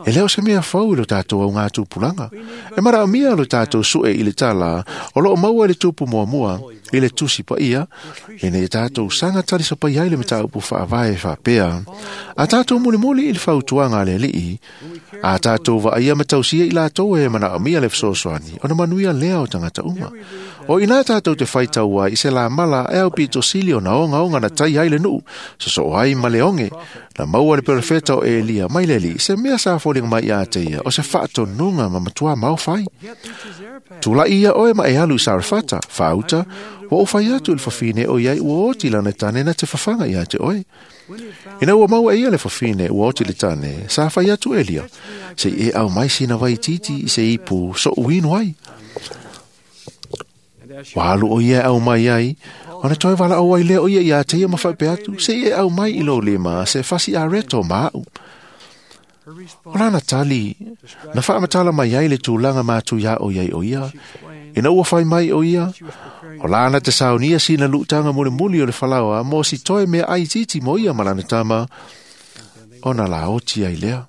e le o se mea fou i lo tatou augatupulaga. E manaomia lo tatou su'e i le tala o loo maua i le tupu muamua i le tusi paia, ina ia tatou saga talisapai ai le mataupu faavae faapea. A tatou mulimuli i le fautuaga a le ali'i, a tatou vaaia ma tausia i latou e manaomia le fesoasoani, ona manuia lea o tagata uma. O ina tatou te faitau ai i se lamala e au pitosili ona ogaoga na tai ai le nu'u, sosoo ai ma le oge, na maua le perofeta o Elia mai le ali'i, se mea sa foliga mai ia te ia, o se faatonuga ma matuā maofai. Tula'i ia oe ma e alu i Sarefata, faauta, ua ou fai atu i le fafine o iai ua oti lana tane na te fafaga ia te oe. Ina ua maua e ia le fafine ua oti le tane, sa fai atu Elia, se'i e aumai sina vaitiiti i se ipu so'u inu ai. Ua alu o ia e aumai ai, ona toe valaau ai lea o ia ia te ia ma faapea atu, se'i e aumai i lou lima se fasi areto ma a'u. O lana tali, na faamatala mai ai le tulaga matuiā o iai o ia, ina ua fai mai o ia, o lana te saunia sina lu'utaga mulimuli o le falaoa mo si toe mea aitiiti mo ia ma lana tama, ona laoti ai lea.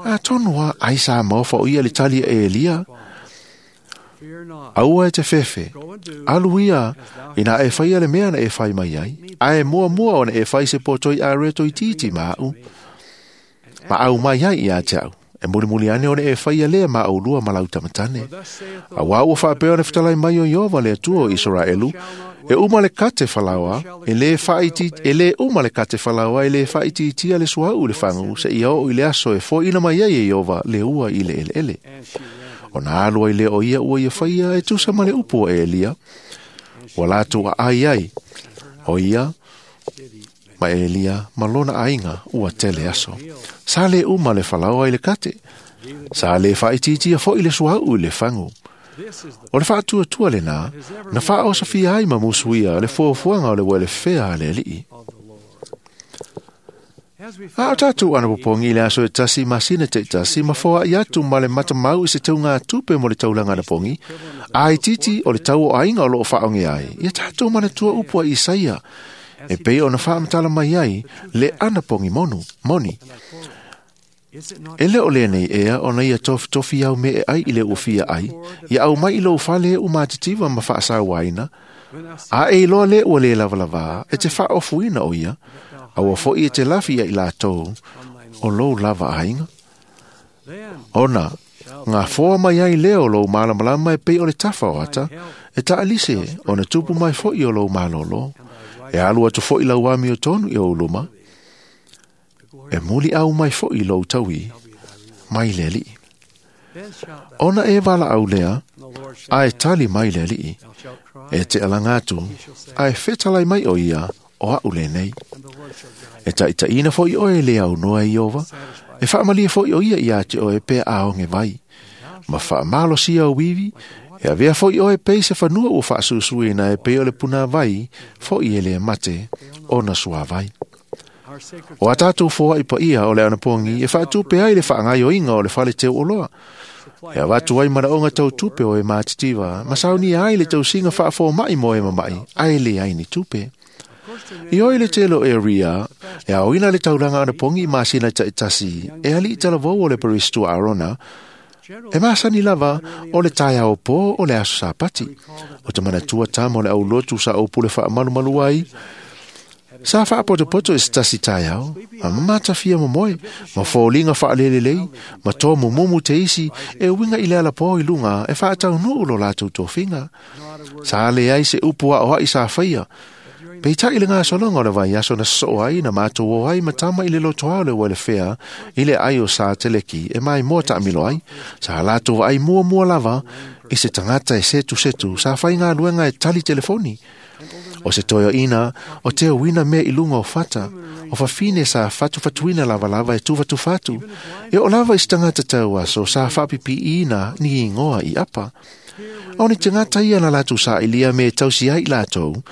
Atonu a ai sa maofa o ia le tali a Elia, aua e te fefe, alu ia ina e faia le mea na e fai mai ai, ae muamua ona e fai se potoi areto itiiti ma a'u, ma au mai ai ia te a'u. E mulimuli ane ona e faia lea ma aulua ma lau tamatane. Auā ua faapea ona fetalai mai o Ieova le Atua o Isaraelu, e uma le kate falaoa, e lē faaiti, e lē uma le kate falaoa, e lē faaitiitia le suauu i le fagu, seia oo i le aso e foaina mai ai e Ieova le ua i le eleele. Ona alu ai lea o ia ua ia faia e tusa ma le upu a Elia, ua latou aai ai, o ia ma Elia ma lona aiga ua tele aso. Sa lē uma le falaoa i le kate, sa lē faaitiitia fo'i le suauu i le fagu. O le faatuatua lenā, na faaosofia ai ma musuia le fuafuaga o le uelefea a le ali'i. A o tatou anapopogi i le aso e tasi masina ta'itasi ma foa'i atu ma le matamau i se taugātupe mo le taulaga anapogi, a itiiti o le tau o aiga o loo faaoge ai, ia tatou manatua upu a Isaia, e pei ona faamatala mai ai le anapogi monu, moni. E le o lenei ea ona ia tofitofi au me e ai i le ufia ai, ia au mai i lou fale u matitiwa ma faasauaina, a e iloa le ua le lavalava e te faaofuina o ia, a ua foi e te lafi ia i latou o lou lava aiga. Ona, ngā foa mai ai leo lou malamalama e pei o le tafa o ata, e taalise ona tupu mai foi o lou malolo, e alu atu foi lau ami o tonu i o uluma, e muli au mai foi lou taui, mai le alii. Ona e wala au lea, a e tali mai le alii, e te alanga atu, a e fetalai mai o ia, o au le nei. E taitaina foi oe le au noa i ova, e faamalie foi o ia ia te oe pe aonge vai. Ma faamalosia o wiwi, e avea foi oe pe se fanua ua faasusuina e pe o le puna vai, foi e le mate, ona sua vai. O a tātou foa i paia o le anapongi e faatupe ai le whaangaioinga o le fale teu oloa. E awatu ai manaonga tau tupe o e mātitiva, ma saunia ai le tausinga whaafo mai mo e mamai, ai le ai ni tupe. I oi le telo e ria, e aoina le tauranga anapongi i masina taitasi, e ali i talavou o le paristu Arona, e masani lava o le taia o pō o le aso sapati. O te manatua tama o le aulotu sa o pule whaamalumalu ai, sa whaapotopoto e stasi taiao, ma mamatawhia momoe, ma fōlinga whaalelelei, ma tō mumumu te isi, e winga i le ala pō i lunga, e whaataunuu lo lātou tōwhinga. Sa le ai se upu a oai sa whaia. Peitai le ngā solonga o le vai aso na so'o ai na mātou o ai matama i le lotoa o le welefea i le ai o sa teleki e mai mua taamilo ai, sa lātou ai mua mua lava i se tangata e setu setu sa whai ngā luenga e tali telefoni. O se toio ina, o te uina mea i lunga o fata, o whawhine sa whatu whatuina lava lava e tūwhatu whatu, e o lava i se tangata tau aso sa whapipi ina ni ingoa i apa. O ni tangata ia na lātou sa ilia me tausi ai lātou,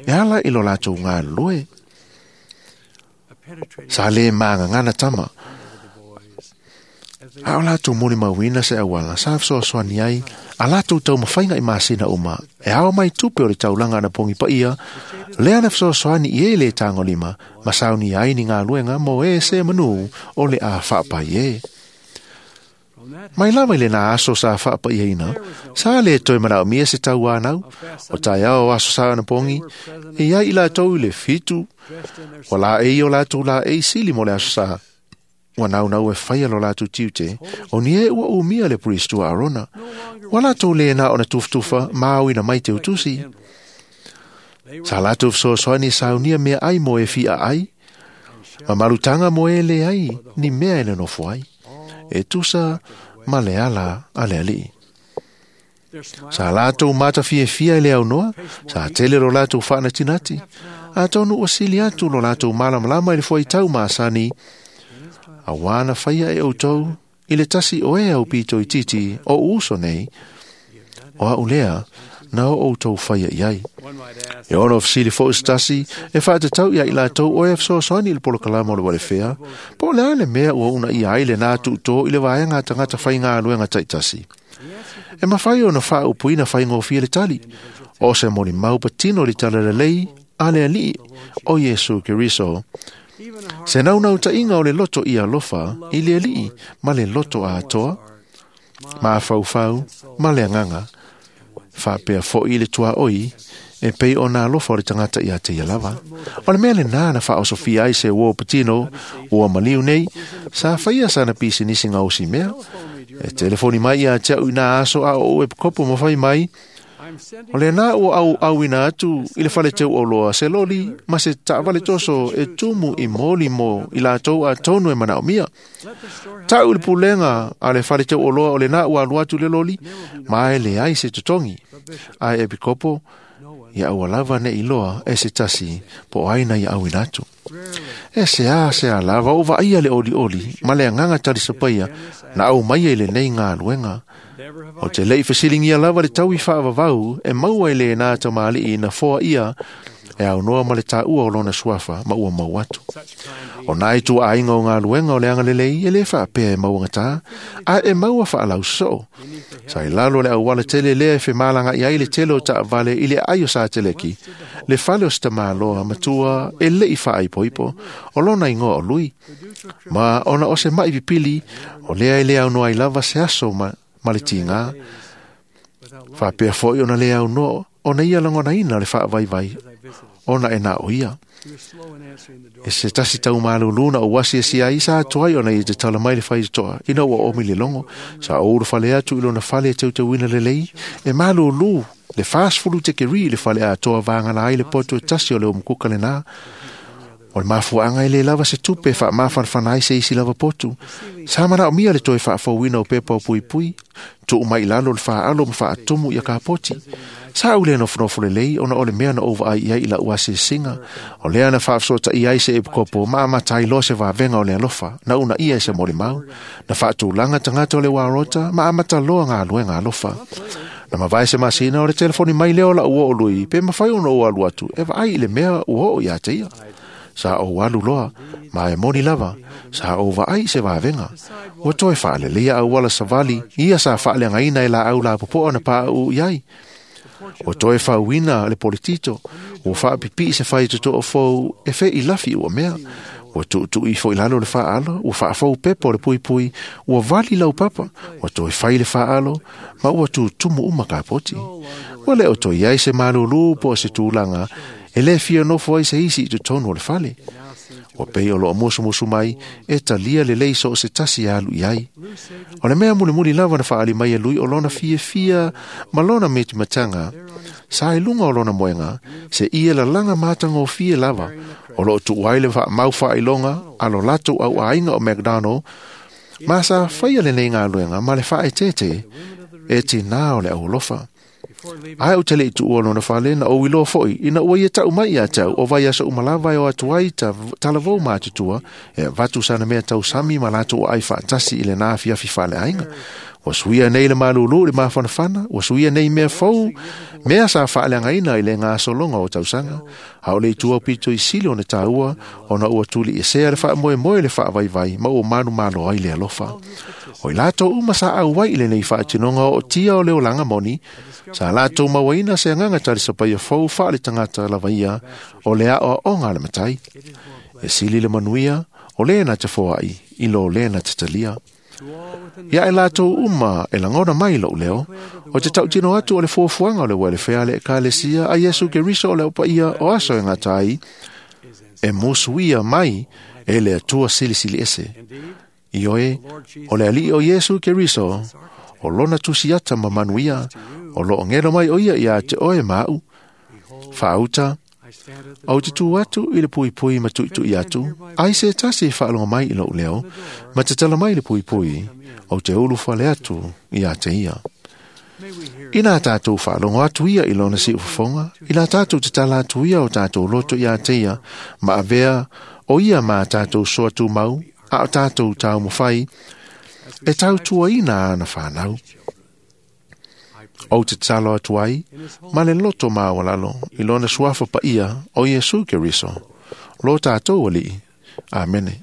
e ala i lo lātou ngā loe. Sa le maanga ngana tama. A o lātou moni mauina se awala, sa fesoasoani ai, a lātou tau mawhainga i masina uma, e ao mai tupe o le taulanga na pongi paia, lea na fesoasoani i e le tangolima, ma sauni ai ni ngā luenga mo e se manu o le a whaapai e. Mai lava i le nā aso sa whaapai ina, sa le toi manao mia se tau anau, o tai ao aso sa anapongi, e ia i lātou i le fitu, o la e i o lātou la e i sili mo le aso sa. Wa nau nau e whaia lo lātou tiute, o ni e ua umia le puristu a Arona. Wa lātou le nā ona tuftufa, maau ina mai te utusi. Sa lātou fesoasoani saunia mea ai mo e fia ai, ma marutanga mo e le ai, ni mea e le nofo ai. E tusa ma le ala a le alii. Sa lātou mata fiafia i le au noa, sa tele lo lātou whaanatinati. A tonu o sili atu lo lātou malamalama i le fuaitau maasani, a wana whaia e outou, i le tasi o e au pito i titi o uso nei, o a ulea, na o outou whaia i ai. E ono whasili fo stasi, e whaatatau ia i lātou o e fesoasoani i le polokalama o le walewhea, po le ale mea ua una i ai le nā tuutō i le vaenga tangata whainga aluenga taitasi. E mawhai o na whaaupuina whaingofia le tali, o se moni mau patino li tala lelei, a le alii o Yesu Keriso. Se naunau tainga o le loto i alofa i le alii ma le loto a atoa, ma whauwhau, ma le anganga, whapea fo i le tua oi, e pei o nā alofa o le tangata i a te ia lava. O le mea le nā na whaosofia ai se uo patino, ua maliu nei, sa whaia sana pisi nisi ngā osi mea, e telefoni mai ia te au i nā aso a o e kopo ma whai mai, o le nā ua au au ina atu i le whale teu o loa se loli, ma se taavale toso e tumu i moli mo i lātou a tonu e manao mia. Tau le pulenga a le whale teu o loa o le nā ua alu atu le loli, ma e le ai se tutongi. A e pikopo, ia aua lava ne i loa e se tasi po aina ia au ina atu. E se a se a lava o vaia le oli oli, ma le anganga tali sapaia, na au mai e le nei ngā luenga. O te lei whasilingia lava le tau i whaavavau, e maua i le nā tamali i na foa ia, E au noa ma le tāua o lona suafa ma ua mau atu. O nai tua ainga o ngā luenga o le anga lelei e le whaapea e mauangata a e maua whaalau so. Sa i lalo le auala tele lea e whemalanga i ai le tele o taavale i le ai o sa teleki. Le fale o sita māloa matua e le i whaaipoipo o lona ingoa o lui. Ma ona o se mai pipili o lea e le au noa i lava se aso ma, ma le tinga. Whaapea foi ona le au noa ona ia langona ina le whaavaivai ona e nā o ia. E se tasi tau malulu na o wasi e si ai sa atuai ona i te tala mai le whai toa. Ina ua omi le longo, sa ouro fale atu i lona fale e teuteuina le lei, e malulu le fast fulu te keri le fale atoa vāngala ai le poto e tasi o le umukuka le nā. O le mafuaanga e le lava se tupe wha mawhanwhana ai se isi lava potu. Sa mana o mia le toi whaafauina o pepa o pui pui, tuu mai lalo le whaalo ma whaatumu ia kapoti. Sa ule no whanofo le lei, ona o le mea na ova ai ia i la ua se singa. O lea na whaafsota i ai se epukopo, ma amatai lo se wawenga o le alofa, na una ia e se mole mau. Na whaatulanga tangata o le warota, ma amata loa ngā luenga alofa. Na mawai se masina o le telefoni mai leo la ua o lui, pe mawhai ono o alu atu, e vaai i le mea ua o ia te ia. Sa o alu loa, ma e moni lava, sa o vaai se wawenga. Ua toe whaale lea au wala savali, ia sa whaale ngaina e la au la popoa na pā u iai. O toe whauina le politito, o whaapipi se whai toto o fou e whe i lafi ua mea. Ua tuutu i fo i lalo le whaalo, ua whaafau pepo le pui pui, ua vali lau papa, ua toe whai le whaalo, ma ua tutumu uma kapoti. Ua le o toi ai se malulu po se tūlanga, e le fia nofo ai se isi i totonu o le fale. O pei o loa musu musu mai, e talia le lei so o se tasi alu i ai. O le mea muli muli lava na whaali mai e lui o lona fia fia, ma lona meti matanga, sa e lunga o lona moenga, se ia la langa matanga o fia lava, o loo tuuai le wha mau wha ilonga, alo lato au ainga o McDonald, ma sa whaia le nei ngā luenga, ma le wha e tete, e te nā o le au lofa. Ai o tele i tuua lona whale na o iloa foi, ina ua ia tau mai ia tau, o vai aso umalawai o atuai ta talavou mā tutua, e vatu sana mea tau sami ma lato o ai whaatasi i le nā fiafi whale ainga. Ua suia nei le malulu le mawhanawhana, ua suia nei mea fou, mea sa whaale angaina i le ngā solonga o tausanga. Hao le itua pito i sili o ne tāua, ona ua tuli i sea le wha moe moe le wha vai vai, ma o manu malo ai le alofa. O i lato uma sa au wai i le nei whaatinonga o tia o leo langa moni, sa lato mawaina se anganga tari sapai fou wha le tangata lava ia, o le ao o ngā le matai. E sili le manuia, o le na te foai, i lo le na te talia. Ia e lato uma e langona mai lou leo, o te tautino atu o le fuafuaga o le welfare le ekalesia a Iesu Keriso o le opaia o aso e gatai, e musuia mai e le Atua silisili ese. Ioe, o le alii o Iesu Keriso, o lona tusiata ma manuia, o loo ngelo mai o ia ia te oe maau. Faauta, au te tu atu i le puipui ma tuitui atu, ai se tasi e whaalonga mai i lou leo, ma te tala mai le puipui, au te ulu whale atu i a te ia. Ina tātou whaalonga atu ia i lona si ufafonga, ina tātou te tala atu ia o tātou loto i a te ia, ma avea o ia mā tātou soa tū mau, a o tātou tau mawhai, e tau tua ina ana whanau. O te talo atu ai, ma le loto māwalalo, i lona suafa pa ia o Iesu Keriso. Lo tātou alii. Amene.